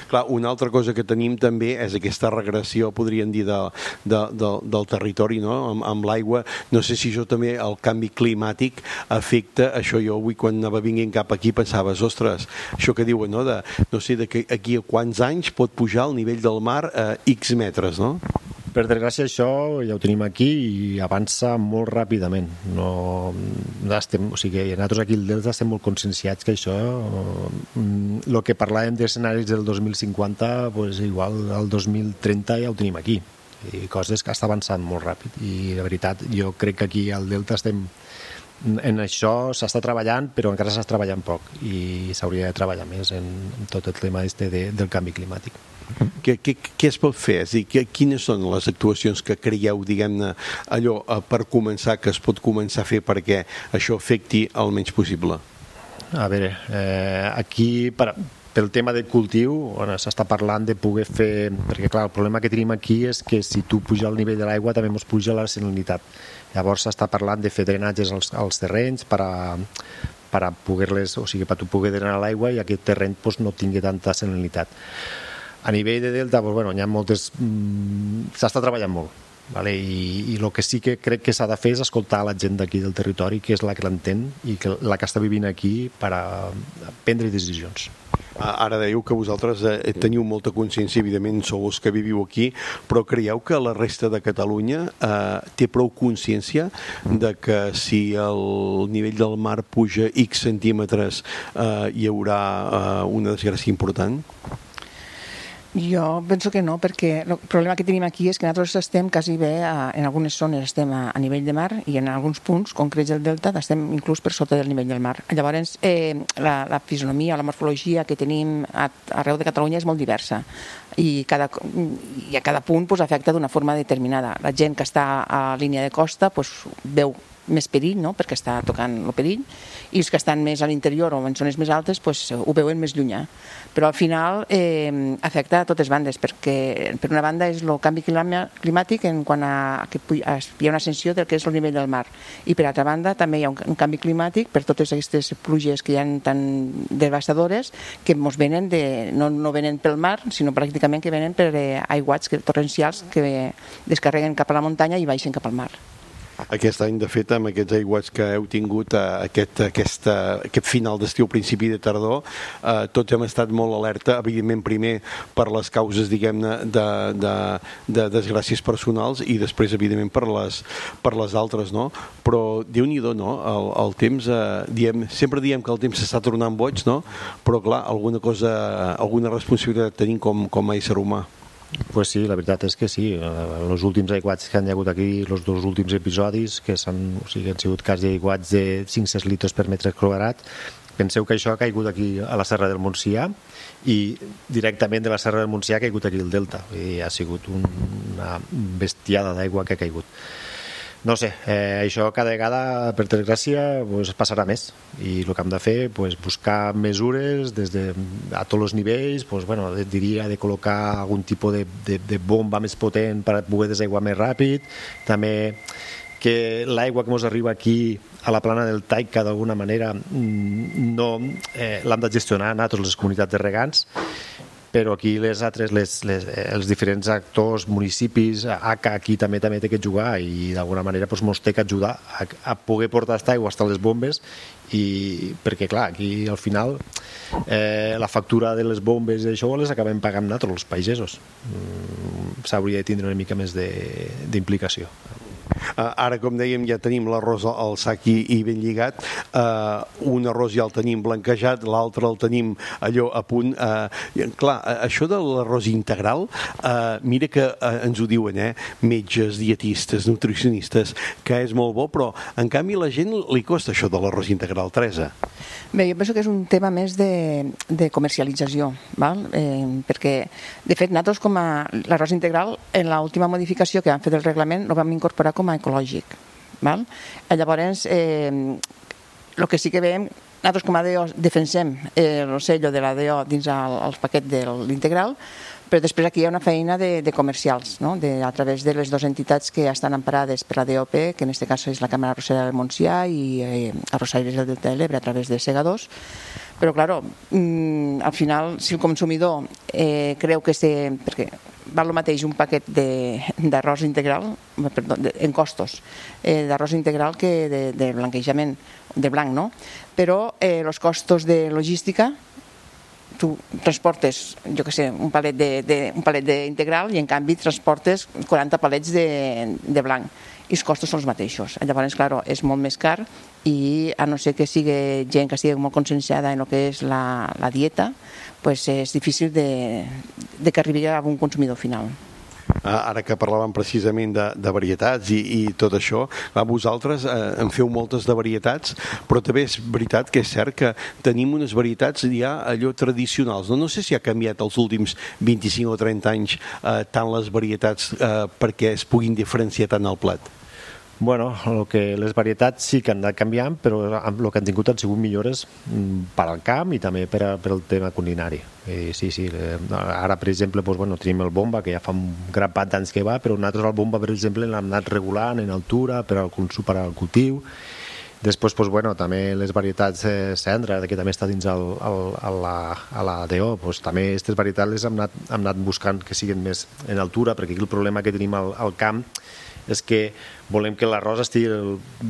Clar, una altra cosa que tenim també és aquesta regressió, podríem dir, de, de, de, del territori, no? Amb, amb l'aigua. No sé si això també, el canvi climàtic, afecta això. Jo avui, quan anava vinguent cap aquí, pensaves, ostres, això que diuen, no? De, no sé, de que aquí a quants anys pot pujar el nivell del mar a X metres, no? Per desgràcia això ja ho tenim aquí i avança molt ràpidament. No, estem, o sigui, nosaltres aquí al Delta estem molt conscienciats que això, el que parlàvem d'escenaris del dos mil cinquanta, pues igual el dos mil trenta ja ho tenim aquí. I coses que està avançant molt ràpid. I la veritat, jo crec que aquí al Delta estem en això s'està treballant, però encara s'està treballant poc i s'hauria de treballar més en, en tot el tema este de, del canvi climàtic. Què, què, què es pot fer? És a dir, quines són les actuacions que creieu, diguem-ne, allò per començar, que es pot començar a fer perquè això afecti el menys possible? A veure, eh, aquí per, pel tema del cultiu bueno, s'està parlant de poder fer, perquè clar, el problema que tenim aquí és que si tu puja el nivell de l'aigua també ens puja la salinitat. Llavors s'està parlant de fer drenatges als, als terrenys per a, per a poder-les, o sigui, per a tu poder drenar l'aigua i aquest terreny pues, no tingui tanta salinitat. A nivell de delta, pues, bueno, hi ha moltes... Mm, s'està treballant molt. Vale? I, i el que sí que crec que s'ha de fer és escoltar la gent d'aquí del territori, que és la que l'entén i que, la que està vivint aquí per a prendre decisions. Ara dèieu que vosaltres eh, teniu molta consciència, evidentment sou els que viviu aquí, però creieu que la resta de Catalunya eh, té prou consciència de que si el nivell del mar puja X centímetres eh, hi haurà eh, una desgràcia important? Jo penso que no, perquè el problema que tenim aquí és que nosaltres estem quasi bé, a, en algunes zones estem a, a nivell de mar i en alguns punts concrets del delta estem inclús per sota del nivell del mar. Llavors, eh, la, la fisonomia, la morfologia que tenim a, arreu de Catalunya és molt diversa i, cada, i a cada punt pues, afecta d'una forma determinada. La gent que està a línia de costa pues, veu més perill, no? Perquè està tocant el perill, i els que estan més a l'interior o en zones més altes pues, ho veuen més llunyà. Però al final eh, afecta a totes bandes, perquè per una banda és el canvi climàtic en quant a que hi ha una ascensió del que és el nivell del mar, i per altra banda també hi ha un, un canvi climàtic per totes aquestes pluges que hi ha tan devastadores que ens venen de, no, no venen pel mar, sinó pràcticament que venen per eh, aiguats que, torrencials que descarreguen cap a la muntanya i baixen cap al mar. Aquest any, de fet, amb aquests aiguats que heu tingut, aquest, aquesta, aquest final d'estiu, principi de tardor, eh, tots hem estat molt alerta, evidentment primer per les causes, diguem-ne, de, de, de desgràcies personals i després, evidentment, per les, per les altres, no? Però, Déu-n'hi-do, no? El, el temps, eh, diem, sempre diem que el temps s'està tornant boig, no? Però, clar, alguna cosa, alguna responsabilitat tenim com, com a ésser humà. Pues sí, la veritat és que sí. Els últims aiguats que han hagut aquí, els dos últims episodis, que s'han, o sigui, han sigut quasi aiguats de cinc a sis litres per metre quadrat, penseu que això ha caigut aquí a la Serra del Montsià i directament de la Serra del Montsià ha caigut aquí el Delta. I ha sigut una bestiada d'aigua que ha caigut. No sé, eh, això cada vegada, per desgràcia, pues, passarà més. I el que hem de fer, pues, buscar mesures des de, a tots els nivells, pues, bueno, diria de col·locar algun tipus de, de, de bomba més potent per poder desaiguar més ràpid, també que l'aigua que ens arriba aquí a la plana del Taica d'alguna manera no, eh, l'hem de gestionar nosaltres les comunitats de regants, però aquí les altres, les, les, els diferents actors, municipis, A C A aquí també també té que jugar i d'alguna manera doncs, ens té que ajudar a, a poder portar aquesta aigua fins a les bombes i perquè clar, aquí al final eh, la factura de les bombes i això les acabem pagant nosaltres, els pagesos. Mm, s'hauria de tindre una mica més d'implicació. Uh, ara, com dèiem, ja tenim l'arròs al sac i, i ben lligat. Uh, un arròs ja el tenim blanquejat, l'altre el tenim allò a punt. Uh, clar, això de l'arròs integral, uh, mira que uh, ens ho diuen, eh? Metges, dietistes, nutricionistes, que és molt bo, però en canvi a la gent li costa això de l'arròs integral, Teresa. Bé, jo penso que és un tema més de, de comercialització, val? Eh, perquè, de fet, nosaltres com a l'arròs integral, en l'última modificació que vam fer del reglament, el vam incorporar com a ecològic. Val? Llavors, eh, el que sí que veiem, nosaltres com a D O defensem eh, el sello de la D O dins el, el paquet de l'integral, però després aquí hi ha una feina de, de comercials, no? de, a través de les dues entitats que estan emparades per la D O P, que en aquest cas és la Càmera Arrossera del Montsià i eh, Arrossaires del Delta de l'Ebre a través de segadors. Però, clar, mmm, al final, si el consumidor eh, creu que se, perquè val el mateix un paquet d'arròs integral, perdó, de, en costos, eh, d'arròs integral que de, de blanquejament, de blanc, no? Però eh, els costos de logística, tu transportes, jo què sé, un palet de, de, un palet d'integral i en canvi transportes quaranta palets de, de blanc i els costos són els mateixos. Llavors, clar, és molt més car i a no ser que sigui gent que sigui molt conscienciada en el que és la, la dieta, pues és difícil de, de que arribi a un consumidor final. Ara que parlàvem precisament de, de varietats i, i tot això, va, vosaltres eh, en feu moltes de varietats, però també és veritat que és cert que tenim unes varietats ja allò tradicionals. No, no sé si ha canviat els últims vint-i-cinc o trenta anys eh, tant les varietats eh, perquè es puguin diferenciar tant al plat. Bueno, el que les varietats sí que han anat canviant, però el que han tingut han sigut millores per al camp i també per, a, per al tema culinari. I sí, sí, ara, per exemple, doncs, bueno, tenim el bomba, que ja fa un grapat d'anys que va, però nosaltres el bomba, per exemple, l'hem anat regulant en altura per al consum, per al cultiu. Després, doncs, bueno, també les varietats eh, cendra, que també està dins el, el, a, la, a la D O, doncs, també aquestes varietats les hem anat, hem anat buscant que siguin més en altura, perquè aquí el problema que tenim al, al camp és que volem que l'arròs estigui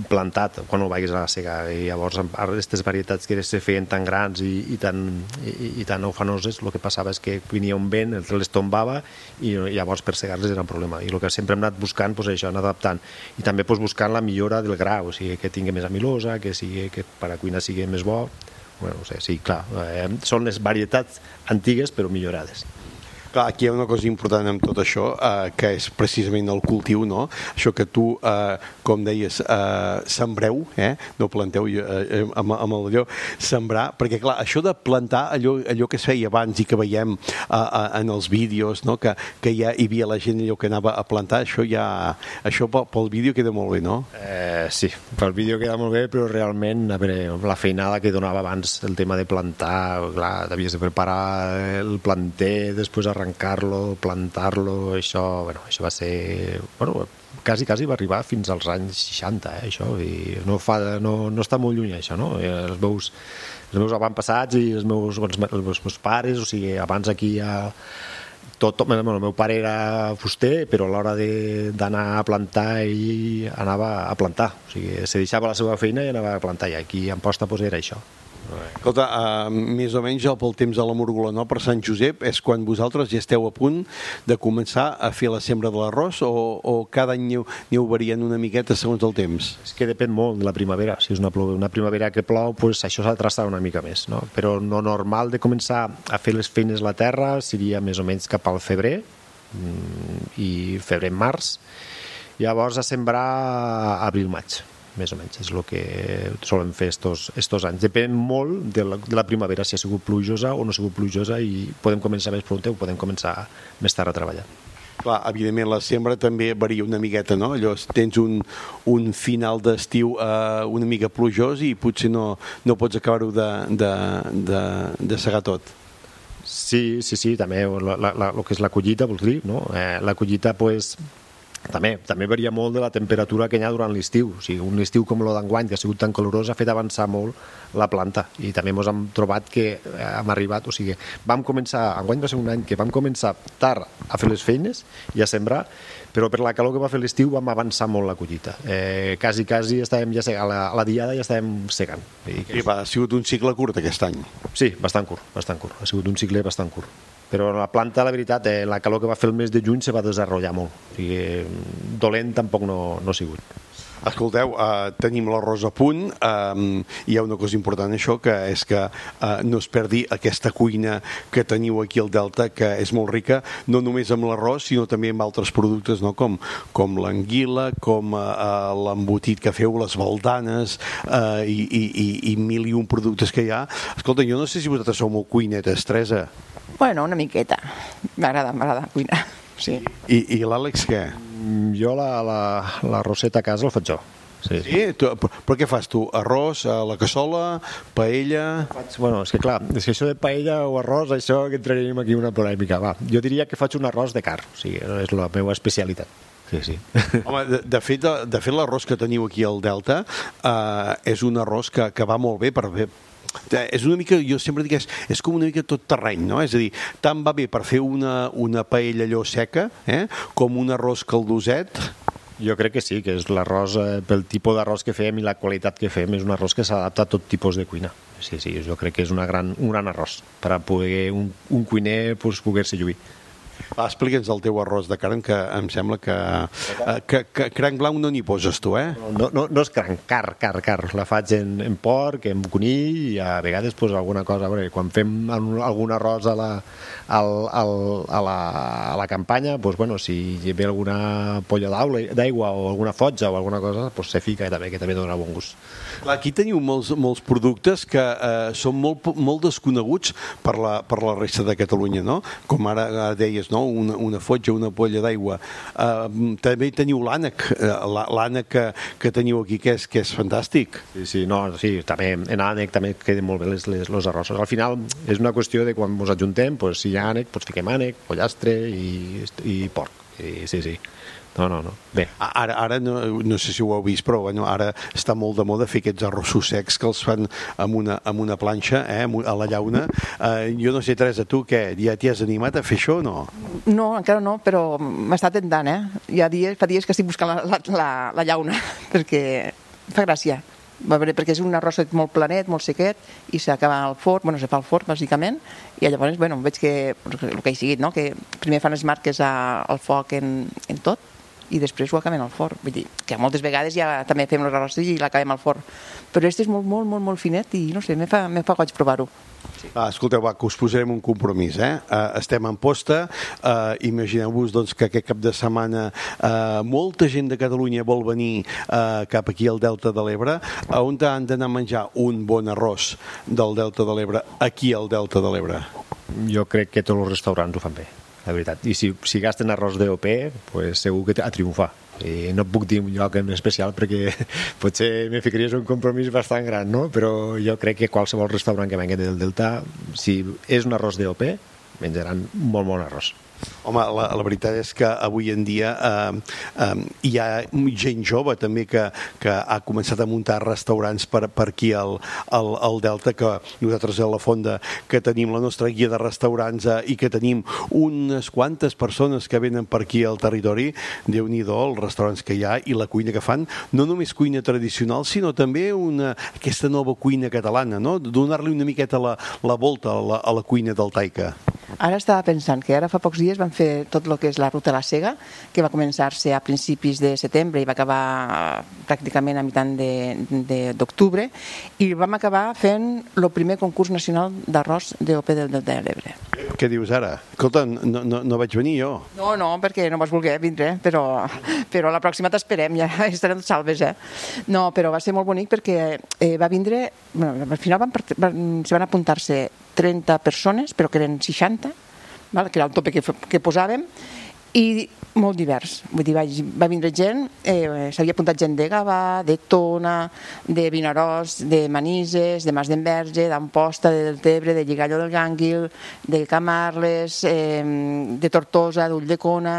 plantat quan ho vagis a la sega i llavors aquestes varietats que se feien tan grans i, i, tan, i, i tan ufanoses, el que passava és que venia un vent, les tombava i llavors per segar-les era un problema i el que sempre hem anat buscant és això, anar adaptant i també pues, buscant la millora del gra, o sigui que tingui més amilosa, que, sigui, que per a cuina sigui més bo. Bueno, no sé, sí, clar, eh, són les varietats antigues però millorades. Clar, aquí hi ha una cosa important amb tot això, eh, que és precisament el cultiu, no? Això que tu, eh, com deies, eh, sembreu, eh? No planteu eh, amb, amb allò, sembrar, perquè clar, això de plantar allò, allò que es feia abans i que veiem eh, eh, en els vídeos, no? Que, que ja hi havia la gent allò que anava a plantar, això ja, això pel, pel vídeo queda molt bé, no? Eh, sí, pel vídeo queda molt bé, però realment, a veure, la feinada que donava abans el tema de plantar, clar, havies de preparar el planter, després arrencar-lo, plantar-lo, això, bueno, això va ser, bueno, quasi, quasi va arribar fins als anys seixanta, eh, això, i no, fa, no, no està molt lluny, això, no? Els meus, els meus avantpassats i els meus, els, els meus pares, o sigui, abans aquí ja... Tot, bueno, el meu pare era fuster, però a l'hora d'anar a plantar ell anava a plantar, o sigui, se deixava la seva feina i anava a plantar, i aquí a Amposta pues, era això. Escolta, uh, més o menys pel temps de la Múrgola, no? Per Sant Josep és quan vosaltres ja esteu a punt de començar a fer la sembra de l'arròs o, o cada any aneu, aneu variant una miqueta segons el temps? És que depèn molt de la primavera. Si és una, una primavera que plou, pues això s'ha de traçar una mica més, no? Però no normal de començar a fer les feines a la terra seria més o menys cap al febrer, i febrer-març. Llavors a sembrar abril-maig, més o menys, és el que solen fer estos, estos anys. Depèn molt de la, de la primavera, si ha sigut plujosa o no ha sigut plujosa, i podem començar més pront o podem començar més tard a treballar. Clar, evidentment la sembra també varia una miqueta, no? Allò, tens un, un final d'estiu eh, una mica plujós i potser no, no pots acabar-ho de, de, de, de segar tot. Sí, sí, sí, també la, la, la, el que és la collita, vols dir, no? Eh, la collita, pues, també, també varia molt de la temperatura que hi ha durant l'estiu. O sigui, un estiu com el d'enguany, que ha sigut tan calorós, ha fet avançar molt la planta, i també ens hem trobat que hem arribat, o sigui, vam començar, enguany va ser un any que vam començar tard a fer les feines i a sembrar, però per la calor que va fer l'estiu vam avançar molt la collita. Eh, quasi, quasi estàvem ja segant, a la, a la diada ja estàvem segant. I, I va, ha sigut un cicle curt aquest any. Sí, bastant curt, bastant curt. Ha sigut un cicle bastant curt. Però la planta, la veritat, eh, la calor que va fer el mes de juny se va desenvolupar molt. O sigui, dolent tampoc no, no ha sigut. Escolteu, eh, tenim l'arròs a punt, eh, hi ha una cosa important això, que és que eh, no es perdi aquesta cuina que teniu aquí al Delta, que és molt rica, no només amb l'arròs, sinó també amb altres productes, no? com, com l'anguila, com eh, l'embotit que feu, les baldanes, eh, i, i, i mil i un productes que hi ha. Escolta, jo no sé si vosaltres sou molt cuinetes, Teresa. Bueno, una miqueta. M'agrada, m'agrada cuinar. Sí. I, i l'Àlex què? Jo la, la, la roseta a casa el faig jo. Sí. Sí? Tu, però què fas tu? Arròs, a la cassola, paella... Faig, bueno, és que clar, és que això de paella o arròs, això que entraríem aquí una polèmica. Va, jo diria que faig un arròs de carn, o sigui, és la meva especialitat. Sí, sí. Home, de, de fet, de, de fet l'arròs que teniu aquí al Delta eh, és un arròs que, que va molt bé per fer... És una mica, jo sempre dic que és, és com una mica tot terreny, no? És a dir, tant va bé per fer una, una paella allò seca, eh? com un arròs caldoset. Jo crec que sí, que és l'arròs, eh, pel tipus d'arròs que fem i la qualitat que fem, és un arròs que s'adapta a tot tipus de cuina. Sí, sí, jo crec que és una gran, un gran arròs per a poder un, un cuiner pues, poder-se lluir. Va, explica'ns el teu arròs de carn, que em sembla que, que, que cranc blanc no n'hi poses tu, eh? No, no, no és cranc, car, car, car. La faig en, en porc, en conill, i a vegades pues, alguna cosa. A veure, quan fem algun arròs a la, al, al, a la, a la campanya, pues, bueno, si hi ve alguna polla d'aigua o alguna fotja o alguna cosa, pues, se fica també, que també dona bon gust. Clar, aquí teniu molts, molts productes que eh, són molt, molt desconeguts per la, per la resta de Catalunya, no? Com ara, ara deies, no? Una, una fotja, una polla d'aigua. Uh, també teniu l'ànec, uh, l'ànec que, que teniu aquí, que és, que és fantàstic. Sí, sí, no, sí, també en ànec també queden molt bé les, les, els arrossos. Al final és una qüestió de quan ens adjuntem, pues, si hi ha ànec, pues, fiquem ànec, pollastre i, i porc. I, sí, sí. No, no, no. Bé. Ara, ara no, no sé si ho heu vist, però bueno, ara està molt de moda fer aquests arrossos secs que els fan amb una, amb una planxa, eh, a la llauna. Eh, jo no sé, Teresa, tu què? Ja t'hi has animat a fer això o no? No, encara no, però m'està tentant, eh? Hi ha dies, fa dies que estic buscant la, la, la, la llauna, perquè fa gràcia. Va veure, perquè és un arròs molt planet, molt sequet, i s'acaba al forn, bueno, se fa al forn, bàsicament, i llavors, bueno, veig que, el que he seguit, no?, que primer fan les marques a, al foc en, en tot, i després ho acabem al forn. Vull dir, que moltes vegades ja també fem els arrossos i l'acabem al forn. Però este és molt, molt, molt, molt finet i, no sé, me fa, me fa goig provar-ho. Sí. Ah, escolteu, va, que us posarem un compromís, eh? Uh, estem en posta, uh, imagineu-vos doncs, que aquest cap de setmana uh, molta gent de Catalunya vol venir uh, cap aquí al Delta de l'Ebre, a on han d'anar a menjar un bon arròs del Delta de l'Ebre aquí al Delta de l'Ebre? Jo crec que tots els restaurants ho fan bé, la veritat. I si, si gasten arròs d'O P, pues segur que a triomfar. I no et puc dir un lloc en especial perquè potser me ficaries un compromís bastant gran, no? Però jo crec que qualsevol restaurant que vengui del Delta, si és un arròs d'O P, menjaran molt bon arròs. Home, la, la veritat és que avui en dia eh, eh, hi ha gent jove també que, que ha començat a muntar restaurants per, per aquí al, al, al Delta, que nosaltres a la Fonda que tenim la nostra guia de restaurants eh, i que tenim unes quantes persones que venen per aquí al territori. Déu-n'hi-do els restaurants que hi ha i la cuina que fan, no només cuina tradicional, sinó també una, aquesta nova cuina catalana, no? Donar-li una miqueta la, la volta a la, a la cuina del Taica. Ara estava pensant que ara fa pocs dies van fer tot el que és la ruta a la Sega, que va començar-se a principis de setembre i va acabar pràcticament a mitjan d'octubre, i vam acabar fent el primer concurs nacional d'arròs d'O P del Delta de l'Ebre. Què dius ara? Escolta, no, no, no vaig venir jo. No, no, perquè no vas voler vindre, però, però la pròxima t'esperem, ja estarem salves, eh? No, però va ser molt bonic perquè eh, va vindre... Bueno, al final van, van, se van apuntar-se trenta persones, però que eren seixanta, val? Que era el tope que, que posàvem, i molt divers. Vull dir, va, va vindre gent, eh, s'havia apuntat gent de Gavà, de Tona, de Vinaròs, de Manises, de Mas d'Enverge, d'Amposta, de Deltebre, de Lligallo del Gànguil, de Camarles, eh, de Tortosa, d'Ulldecona...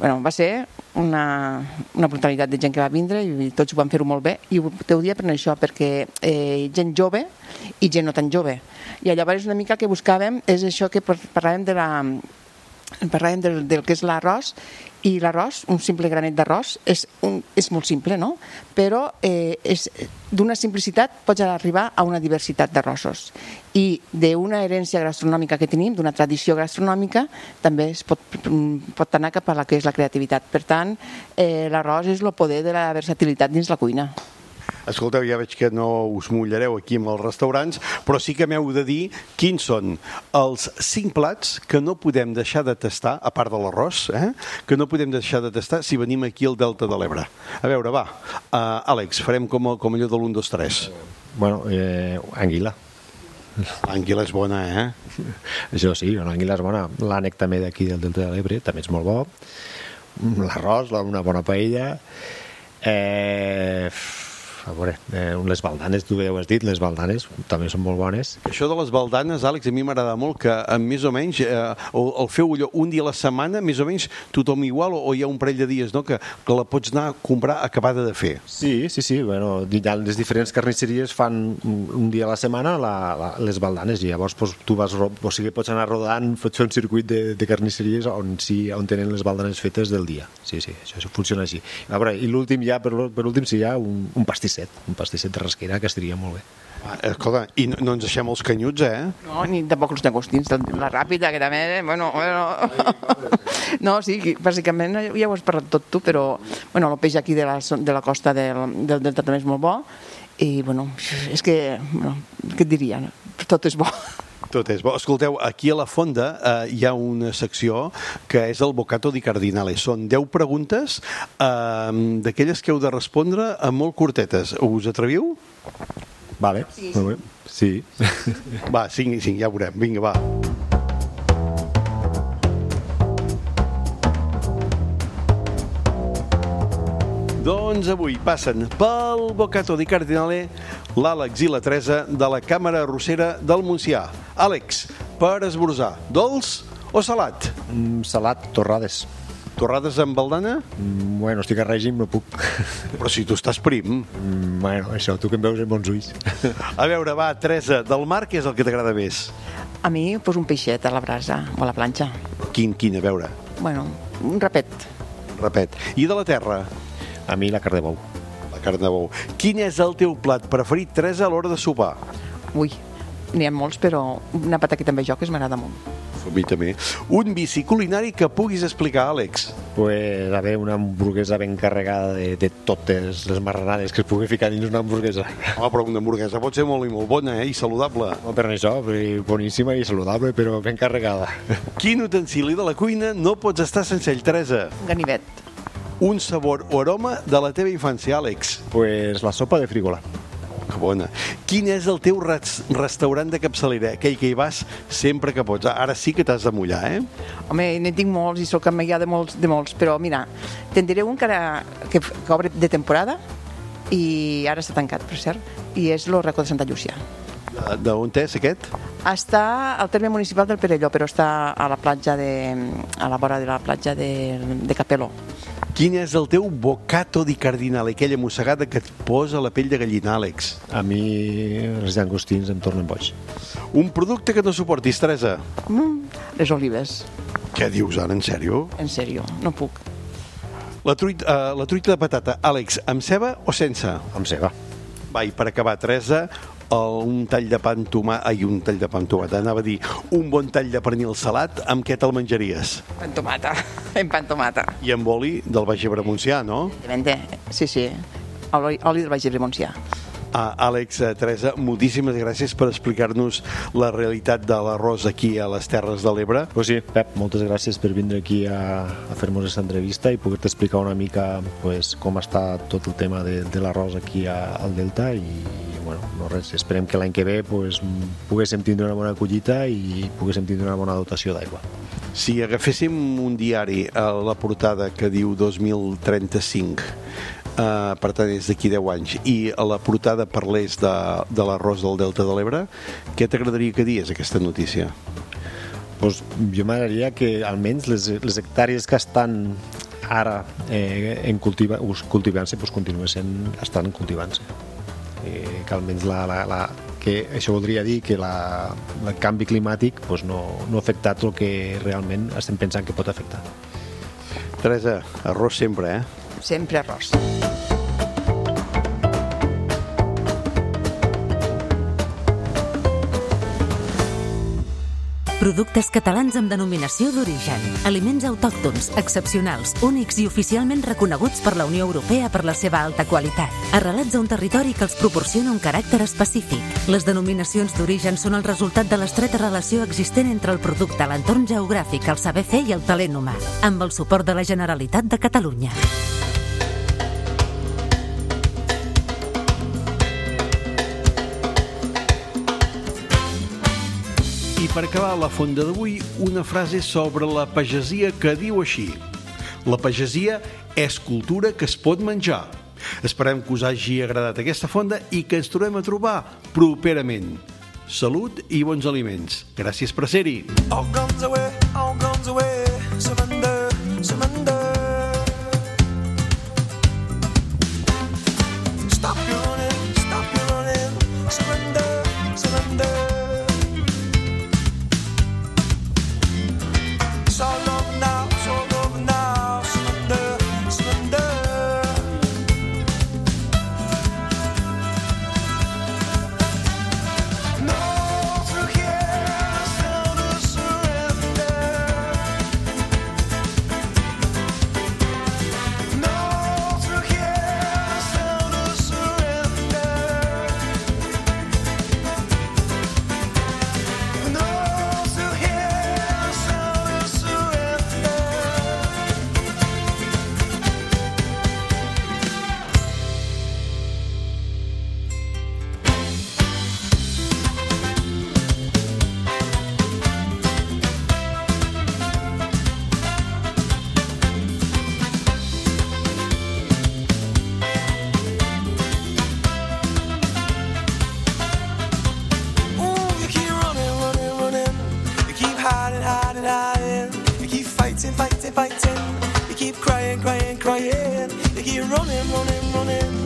Bueno, va ser una, una brutalitat de gent que va vindre i tots ho van fer-ho molt bé, i te ho dia per això, perquè eh, gent jove i gent no tan jove. I llavors una mica el que buscàvem és això que parlàvem de la... parlàvem del, del que és l'arròs, i l'arròs, un simple granet d'arròs, és, un, és molt simple, no? Però eh, és d'una simplicitat pots arribar a una diversitat d'arrossos. I d'una herència gastronòmica que tenim, d'una tradició gastronòmica, també es pot, pot anar cap a la que és la creativitat. Per tant, eh, l'arròs és el poder de la versatilitat dins la cuina. Escolteu, ja veig que no us mullareu aquí amb els restaurants, però sí que m'heu de dir quins són els cinc plats que no podem deixar de tastar, a part de l'arròs, eh? que no podem deixar de tastar si venim aquí al Delta de l'Ebre. A veure, va, uh, Àlex, farem com, com allò de l'un, dos, tres. Bueno, eh, anguila. L'anguila és bona, eh? Això sí, l'anguila és bona. L'ànec també d'aquí del Delta de l'Ebre també és molt bo. L'arròs, una bona paella. Eh... A veure, eh, les baldanes, tu ja ho has dit, les baldanes també són molt bones. Això de les baldanes, Àlex, a mi m'agrada molt que eh, més o menys eh, el, el feu allò un dia a la setmana, més o menys tothom igual, o, o hi ha un parell de dies, no?, que, que la pots anar a comprar acabada de fer. Sí, sí, sí, bueno, ja les diferents carnisseries fan un dia a la setmana la, la, les baldanes, i llavors pues, tu vas, o sigui, pots anar rodant, pots fer un circuit de, de carnisseries on, sí, on tenen les baldanes fetes del dia. Sí, sí, això, això funciona així. A veure, i l'últim ja, per, per últim, sí, hi ha un, un pastisset, un pastisset de rasquera que estaria molt bé. Ah, escolta, i no, no ens deixem els canyuts, eh? No, ni tampoc els llagostins, la ràpida, que també, bueno, bueno... No, sí, bàsicament ja ho has parlat tot tu, però, bueno, el peix aquí de la, de la costa del, del Delta també és molt bo, i, bueno, és que, bueno, què et diria? Tot és bo. Tot és bo. Escolteu, aquí a la Fonda eh, hi ha una secció que és el Bocato di Cardinale. Són deu preguntes eh, d'aquelles que heu de respondre a molt curtetes. Us atreviu? Vale, sí. Molt bé. Sí. Va, cinc i cinc, ja ho veurem. Vinga, va. Doncs avui passen pel Bocato di Cardinale l'Àlex i la Teresa de la Càmera Arrossera del Montsià. Àlex, per esmorzar, dolç o salat? Mm, salat, torrades. Torrades amb baldana? Mm, bueno, estic a règim, no puc. Però si tu estàs prim. Mm, bueno, això, tu que em veus amb bons ulls. A veure, va, Teresa, del mar, què és el que t'agrada més? A mi, pues, un peixet a la brasa o a la planxa. Quin, quin, a veure? Bueno, un rapet. Un rapet. I de la terra? A mi la carn de bou. La carn de bou. Quin és el teu plat preferit, Teresa, a l'hora de sopar? Ui, n'hi ha molts, però una pataqueta amb bajoques m'agrada molt. A mi també. Un vici culinari que puguis explicar, Àlex? Pues, a veure, una hamburguesa ben carregada de, de totes les marranades que es pugui ficar dins una hamburguesa. Home, però una hamburguesa pot ser molt i molt bona, eh? I saludable. No, per això, boníssima i saludable, però ben carregada. Quin utensili de la cuina no pots estar sense ell, Teresa? Un ganivet. Un sabor o aroma de la teva infància, Àlex? Pues la sopa de frígola. Que bona. Quin és el teu res restaurant de capçalera? Aquell que hi vas sempre que pots. Ara sí que t'has de mullar, eh? Home, n'en tinc molts i soc amiga de molts, de molts, però mira, te'n diré un que, ara, que, que obre de temporada i ara està tancat, per cert, i és el Racó de Santa Llúcia. D'on és aquest? Està al terme municipal del Perelló, però està a la platja de, a la vora de la platja de, de Capeló. Quin és el teu bocato di cardinale, aquella mossegada que et posa la pell de gallina, Àlex? A mi els llangostins em tornen boig. Un producte que no suportis, Teresa? Mm, les olives. Què dius ara, en sèrio? En sèrio, no puc. La truita, uh, la truita de patata, Àlex, amb ceba o sense? Amb ceba. Va, i per acabar, Teresa, el, un tall de pa amb tomata, ai, un tall de pa amb tomata, anava a dir, un bon tall de pernil salat, amb què te'l menjaries? Pa amb tomata, en pa amb tomata. I amb oli del Baix Ebre Montsià, no? Evidentment, sí, sí, oli, oli del Baix Ebre Montsià. Uh, Àlex, uh, Teresa, moltíssimes gràcies per explicar-nos la realitat de l'arròs aquí a les Terres de l'Ebre. Pues sí, Pep, moltes gràcies per vindre aquí a, a fer-nos aquesta entrevista i poder-te explicar una mica pues, com està tot el tema de, de l'arròs aquí a, al Delta i, bueno, no res, esperem que l'any que ve pues, poguéssim tindre una bona collita i poguéssim tindre una bona dotació d'aigua. Si agaféssim un diari a la portada que diu dos mil trenta-cinc, Uh, per tant és d'aquí deu anys, i a la portada parlés de, de l'arròs del Delta de l'Ebre, què t'agradaria que dies aquesta notícia? Pues, jo m'agradaria que almenys les, les hectàrees que estan ara eh, en cultiva, cultivant-se pues, continuessin estan cultivant-se, eh, que almenys la, la, la, que això voldria dir que la, el canvi climàtic pues, no, no ha afectat el que realment estem pensant que pot afectar. Teresa, arròs sempre, eh? Sempre arròs. Productes catalans amb denominació d'origen. Aliments autòctons, excepcionals, únics i oficialment reconeguts per la Unió Europea per la seva alta qualitat. Arrelats a un territori que els proporciona un caràcter específic. Les denominacions d'origen són el resultat de l'estreta relació existent entre el producte, l'entorn geogràfic, el saber fer i el talent humà, amb el suport de la Generalitat de Catalunya. I per acabar la fonda d'avui, una frase sobre la pagesia que diu així: la pagesia és cultura que es pot menjar. Esperem que us hagi agradat aquesta fonda i que ens trobem a trobar properament. Salut i bons aliments. Gràcies per ser-hi. All guns away, all guns away, surrender, surrender. Stop your running, stop your running, surrender, surrender. It's all over now, it's all over now, surrender, surrender. No, through here, sound of surrender. No, through here, sound of surrender. No, through here, sound of surrender. Ooh, you keep running, running, running. You keep hiding, hiding, hiding. You keep fighting, fighting, fighting. You keep crying, crying, crying. You keep running, running, running.